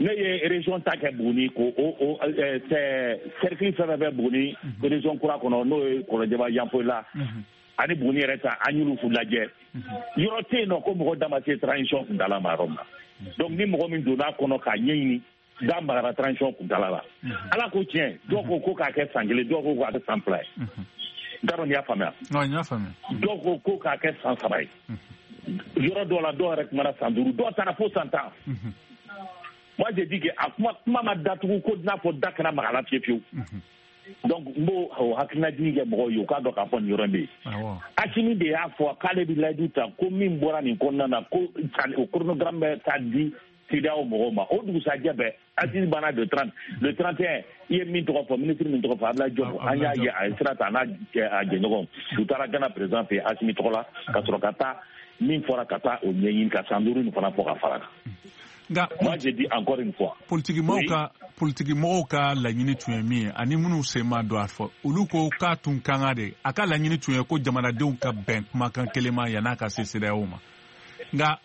Ne ye région ta kɛ Buguni ko o o cercle fɛn fɛn bɛ Buguni région kura kɔnɔ, n'o ye Kɔlɔnjɛba Yanfolila ani Buguni yɛrɛ ta, an y'olu lajɛ. Yɔrɔ tɛ yen nɔ ko mɔgɔ da ma se transition kuntala ma yɔrɔ min na. Donc ni mɔgɔ min donna a kɔnɔ k'a ɲɛɲini, da magara transition kuntala la. Ala ko tiɲɛ, dɔw ko ko k'a kɛ san kelen, dɔw ko k'a kɛ san fila ye. N t'a dɔn n'i y'a faamuya. Non, n y'a faamuya. Dɔw ko ko k'a kɛ san saba ye. Yɔrɔ dɔw la, dɔw yɛrɛ kumana san duuru, dɔw taara fo san tan. Moi, j'ai dit que a kuma kuma ma datugu ko n'a fɔ da kana maga la fiyewu fiyewu. Donc n b'o o hakilinajigin kɛ mɔgɔw ye, u k'a dɔn k'a fɔ nin yɔrɔ in bɛ yen. Asimi de y'a fɔ k'ale bɛ layidu ta ko min bɔra nin kɔnɔna na, ko o chronogramme bɛ taa di CEDEAO mɔgɔw ma. O dugusajɛ bɛɛ Asimi banna le trente, le trente et un, i ye min tɔgɔ fɔ, ministre min tɔgɔ fɔ, Abdoulaye Diop, an y'a ye a ye sira ta a n'a a jɛɲɔgɔnw, u taara Ghana président fɛ yen Asimi tɔgɔ la, ka sɔrɔ ka taa min fɔra ka taa o ɲɛɲini ka san duuru nin fana fɔ ka fara kan. Nka moi je dis encore une fois, politikimɔgɔw ka politikimɔgɔw ka laɲini tun ye min ye, ani minnu sen ma don a fɔ, olu ko k'a tun kan ka de, a ka laɲini tun ye ko jamanadenw ka bɛn kumakan kelen ma yann'a ka se CEDEAO ma. Nka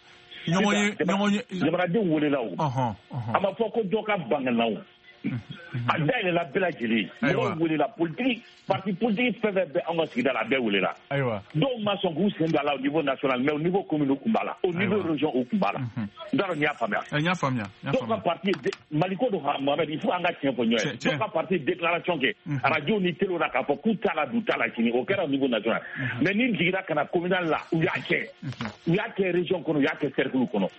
ɲɔgɔn ye ɲɔgɔn ye jamanadenw welela o, a ma fɔ ko dɔ ka ban na o, a dayɛlɛla bɛɛ lajɛlen, mɔgɔw welela, politique parti politique fɛn fɛn bɛ anw ka sigida la, a bɛɛ welela. Ayiwa, dɔw ma sɔn k'u sen don a la au niveau national, mais au niveau commune u kun b'a la, au niveau région u kun b'a la. N t'a dɔn n'i y'a faamuya. N y'a faamuya. Dɔw ka parti Maliko don, Mohamed, il faut an ka tiɲɛ fɔ ɲɔgɔn ye. Dɔw ka parti déclaration kɛ radio ni télé la k'a fɔ k'u t'a la, du t'a la sini, o kɛra au niveau national. Mais ni jiginna ka na communal la, u y'a kɛ, u y'a kɛ région kɔnɔ, u y'a kɛ cercle kɔnɔ.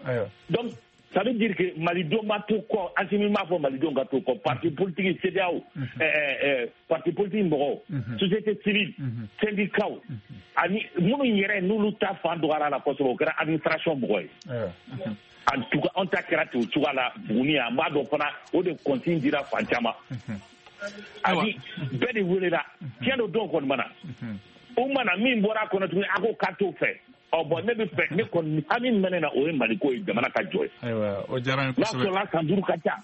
Donc ça veut dire que Malidenw ma to kɔ, Asimi m'a fɔ Malidenw ka to kɔ, parti politique CEDEAO, ɛɛ parti politique mɔgɔw, société civile, syndicat, ani minnu yɛrɛ n'olu ta fan dɔgɔyara la kosɛbɛ, o kɛra administration mɔgɔ ye. En tout cas, an ta kɛra ten o cogoya la Buguni yan, n b'a dɔn fana o de consigne dira fan caman. Ani bɛɛ de welela, tiɲɛ don dɔw kɔni ma na. O mana min bɔra a kɔnɔ tuguni, a ko k'a t'o fɛ. Ɔ bɔn, ne bɛ fɛ, ne kɔni hami min bɛ ne na, o ye Maliko ye, jamana ka jɔ ye. Ayiwa, o diyara n ye kosɛbɛ. N'a sɔrɔla san duuru ka ca.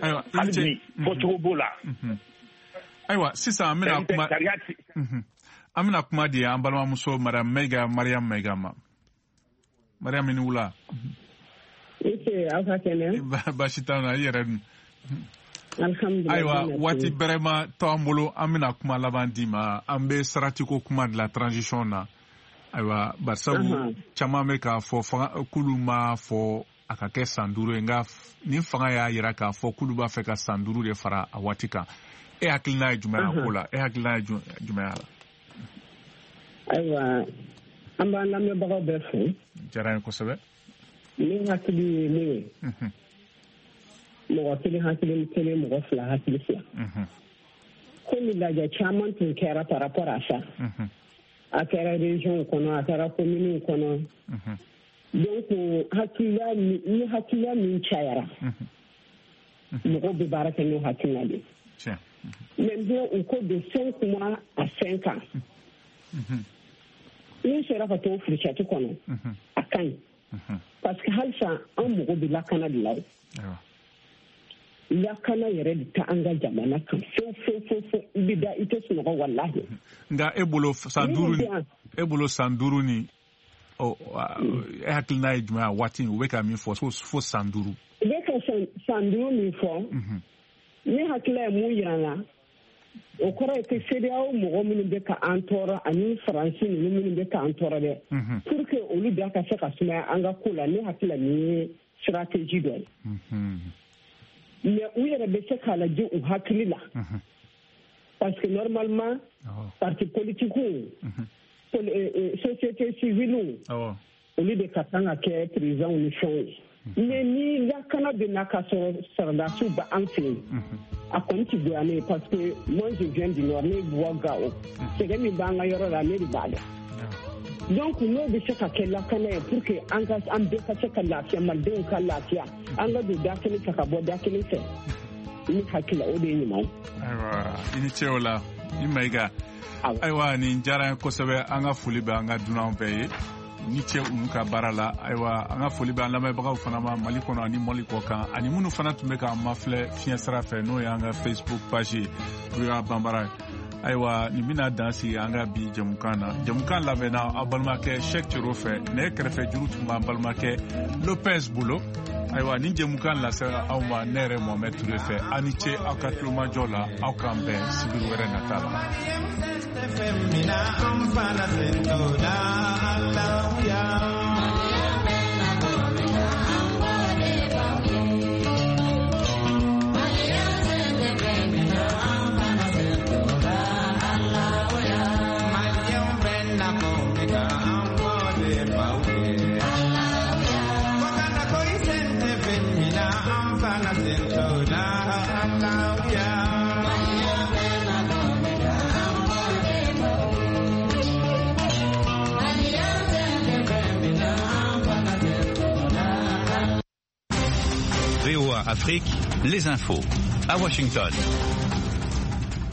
Ayiwa, hali bi fɔcogo b'o la. Ayiwa, sisan an bɛna kuma, an bɛna kuma di an balimamuso Mariam Mayiga, Mariam Mayiga ma. Mariam, i ni wula. I aw ka kɛnɛ. Baasi t'an na, i yɛrɛ dun? Alhamdulilayi. Ayiwa, waati bɛrɛ ma to an bolo, an bɛna kuma laban d'i ma. An bɛ saratiko kuma de la transition na. Ayiwa, barisabu caman bɛ k'a fɔ fanga k'olu ma fɔ a ka kɛ san duuru ye, nka nin fanga y'a yira k'a fɔ k'olu b'a fɛ ka san duuru de fara a waati kan. E hakilina ye jumɛn ye a ko la? E hakilina ye jumɛn ye a la? Ayiwa, an b'an lamɛnbagaw bɛɛ fo. Diyara n ye kosɛbɛ. Ne hakili ye mun ye? Mɔgɔ kelen hakili kelen, mɔgɔ fila hakili fila. Komi lajɛ caman tun kɛra par rapport à ça. A kɛra région kɔnɔ, a kɛra commune kɔnɔ. Donc hakilila ni hakilila min cayara, mɔgɔw bɛ baara kɛ n'o hakilina de ye. Maintenant u ko de cinq mois à cinq ans. N'i sera ka t'o fourchette kɔnɔ, a ka ɲi. Parce que halisa an mago bɛ lakana de la o. Lakana yɛrɛ de tɛ an ka jamana kan fewu fewu fewu fewu, i bɛ da i tɛ sunɔgɔ walahi. Nka e bolo san duuru ni e bolo san duuru ni ɔ e hakilina ye jumɛn ye a waati u bɛ ka min fɔ fo san duuru. U bɛ ka san duuru min fɔ, ne hakilila ye mun yira n na, o kɔrɔ ye ko CEDEAO mɔgɔ minnu bɛ ka an tɔɔrɔ ani Faransi ninnu minnu bɛ ka an tɔɔrɔ dɛ, pour que olu da ka se ka sumaya an ka ko la, ne hakilila nin ye stratégie dɔ ye. Mais u yɛrɛ bɛ se k'a lajɛ u hakili la, parce que normalement parti politique, société civile, olu de ka kan ka kɛ président ni fɛnw ye. Mais ni lakana bɛ na ka sɔrɔ sɔrɔdasiw bɛ an fɛ yen, a kɔni ti goya ne ye, parce que moi je viens du nord, ne bɔ Gao, sɛgɛn min b'an ka yɔrɔ la, ne de b'a dɔn. Donc n'o bɛ se ka kɛ lakana ye pour que an ka an bɛɛ ka se ka lafiya, malidenw ka lafiya, an ka don da kelen fɛ ka bɔ da kelen fɛ, ne hakili la o de ye ɲuman ye. Ayiwa, i ni ce o la, i Mayiga. Ayiwa, nin diyara n ye kosɛbɛ, an ka foli bɛ an ka dunanw bɛɛ ye. Ni ce olu ka baara la. Ayiwa, an ka foli bɛ an lamɛnbagaw fana ma Mali kɔnɔ ani Mali kɔ kan, ani minnu fana tun bɛ k'an mafilɛ fiɲɛ sira fɛ, n'o y'an ka Facebook page ye, V O A Banbara ye. Ayiwa, nin bɛna dan sigi an ka bi jɛmukan na. Jɛmukan labɛnna aw balimakɛ Cheick Thiero fɛ, nɛgɛ kɛrɛfɛ juru tun b'an balimakɛ Lopez bolo. Ayiwa, nin jɛmukan lasera aw ma ne yɛrɛ Mohamed Touré fɛ. Aw ni ce aw ka tulomajɔ la, aw k'an bɛn sibiri wɛrɛ nata la. Ala Afrique, les infos. À Washington.